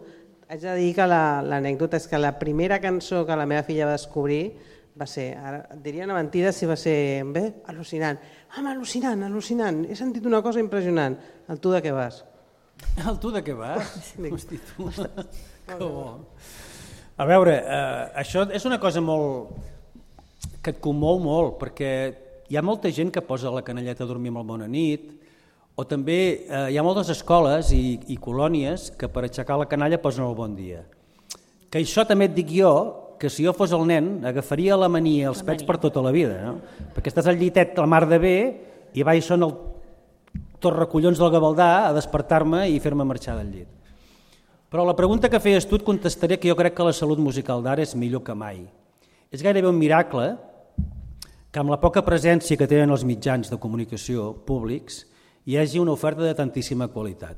Haig de dir que l'anècdota és que la primera cançó que la meva filla va descobrir va ser, ara et diria una mentida si va ser al·lucinant. Al·lucinant, he sentit una cosa impressionant. El tu de què vas? El tu de què vas? Hosti, tu. Que bo. A veure, això és una cosa molt... que et commou molt, perquè hi ha molta gent que posa la canelleta a dormir amb el bona nit, o també hi ha moltes escoles i colònies que per aixecar la canalla posen el bon dia. Que això també et dic jo, que si jo fos el nen agafaria la mania als pets per tota la vida, no? Perquè estàs al llitet la mar de bé i vaig són el torracollons del Gavaldà a despertar-me i fer-me marxar del llit. Però la pregunta que feies tu et contestaré que jo crec que la salut musical d'ara és millor que mai. És gairebé un miracle que amb la poca presència que tenen els mitjans de comunicació públics hi hagi una oferta de tantíssima qualitat.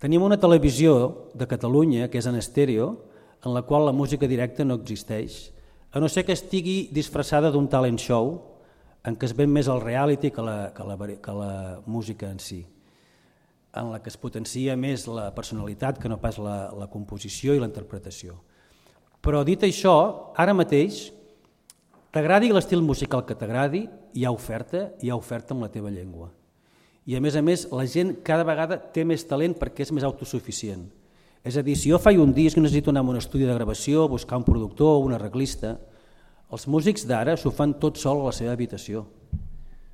Tenim una televisió de Catalunya, que és en estèreo, en la qual la música directa no existeix, a no ser que estigui disfressada d'un talent show en què es ven més el reality que la música en si, en la que es potencia més la personalitat que no pas la composició i la interpretació. Però dit això, ara mateix, t'agradi l'estil musical que t'agradi, hi ha oferta amb la teva llengua. I a més, la gent cada vegada té més talent perquè és més autosuficient. És a dir, si jo faig un disc i necessito anar a un estudi de gravació, buscar un productor o un arreglista, els músics d'ara s'ho fan tot sol a la seva habitació.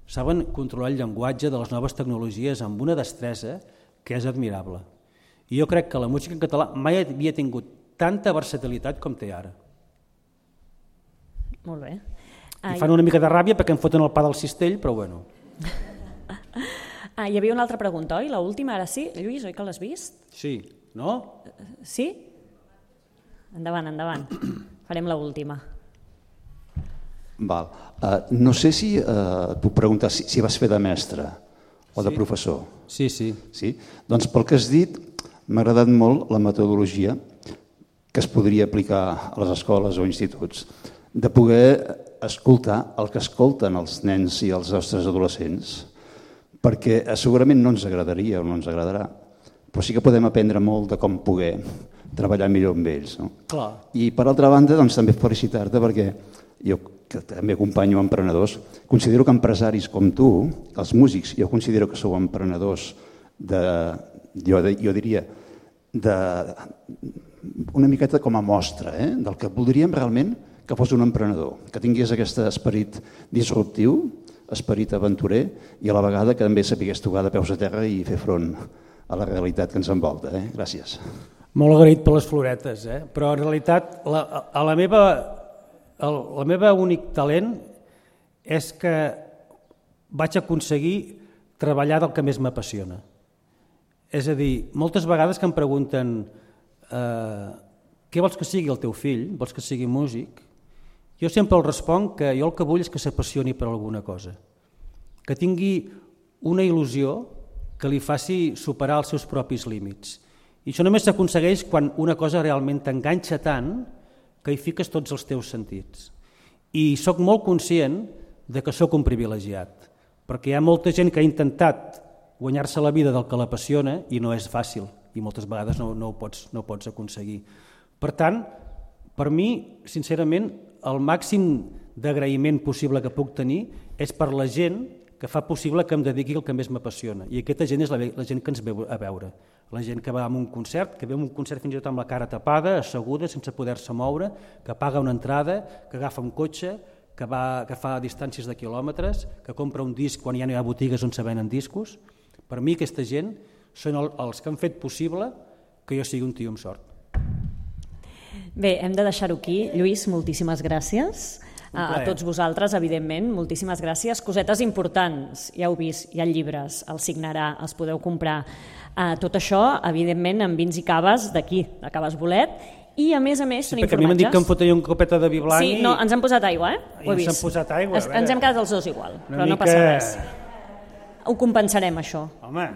Saben controlar el llenguatge de les noves tecnologies amb una destresa que és admirable. I jo crec que la música en català mai havia tingut tanta versatilitat com té ara. Molt bé. I fan una mica de ràbia perquè em foten el pa del cistell, però bueno. Hi havia una altra pregunta, oi? L'última, ara sí. Lluís, oi que l'has vist? Sí, no? Sí? Endavant. Farem l'última. Val. No sé si puc preguntar si vas fer de mestre o de professor. Sí. Sí? Doncs pel que has dit, m'ha agradat molt la metodologia que es podria aplicar a les escoles o instituts, de poder escoltar el que escolten els nens i els nostres adolescents, perquè segurament no ens agradaria o no ens agradarà, però sí que podem aprendre molt de com poder treballar millor amb ells. No? Clar. I per altra banda, doncs, també felicitar-te perquè jo, que també acompanyo emprenedors, considero que empresaris com tu, els músics, jo considero que sou emprenedors jo diria, una miqueta com a mostra del que voldríem realment que fos un emprenedor, que tingués aquest esperit disruptiu, esperit aventurer i a la vegada que també sapigués tocar de peus a terra i fer front a la realitat que ens envolta. Gràcies. Molt agraït per les floretes, però en realitat la meva únic talent és que vaig aconseguir treballar del que més m'apassiona. És a dir, moltes vegades que em pregunten què vols que sigui el teu fill, vols que sigui músic? Jo sempre els responc que jo el que vull és que s'apassioni per alguna cosa, que tingui una il·lusió que li faci superar els seus propis límits. I això només s'aconsegueix quan una cosa realment t'enganxa tant que hi fiques tots els teus sentits. I sóc molt conscient de que sóc un privilegiat, perquè hi ha molta gent que ha intentat guanyar-se la vida del que l'apassiona i no és fàcil, i moltes vegades no ho pots aconseguir. Per tant, per mi, sincerament, el màxim d'agraïment possible que puc tenir és per la gent que fa possible que em dediqui al que més m'apassiona. I aquesta gent és la gent que ens ve a veure. La gent que va a un concert, que ve a un concert fins i tot amb la cara tapada, asseguda, sense poder-se moure, que paga una entrada, que agafa un cotxe, que fa distàncies de quilòmetres, que compra un disc quan ja no hi ha botigues on se venen discos. Per mi aquesta gent són els que han fet possible que jo sigui un tio amb sort. Bé, hem de deixar-ho aquí. Lluís, moltíssimes gràcies. A tots vosaltres, evidentment, moltíssimes gràcies. Cosetes importants, ja heu vist, hi ha llibres, els signarà, els podeu comprar. Tot això, evidentment, amb vins i caves d'aquí, de Caves Bolet, i a més són informatges. Perquè a mi m'han dit que em fotria una copeta de vi blanc. Sí, no, ens han posat aigua, ho he vist. Ens han posat aigua, ens hem quedat els dos igual, però no passa res. Ho compensarem, això,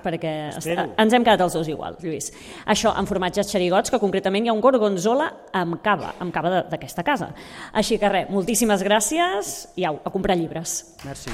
perquè ens hem quedat els dos igual, Lluís. Això, amb formatges xerigots, que concretament hi ha un gorgonzola amb cava d'aquesta casa. Així que res, moltíssimes gràcies i au, a comprar llibres. Merci.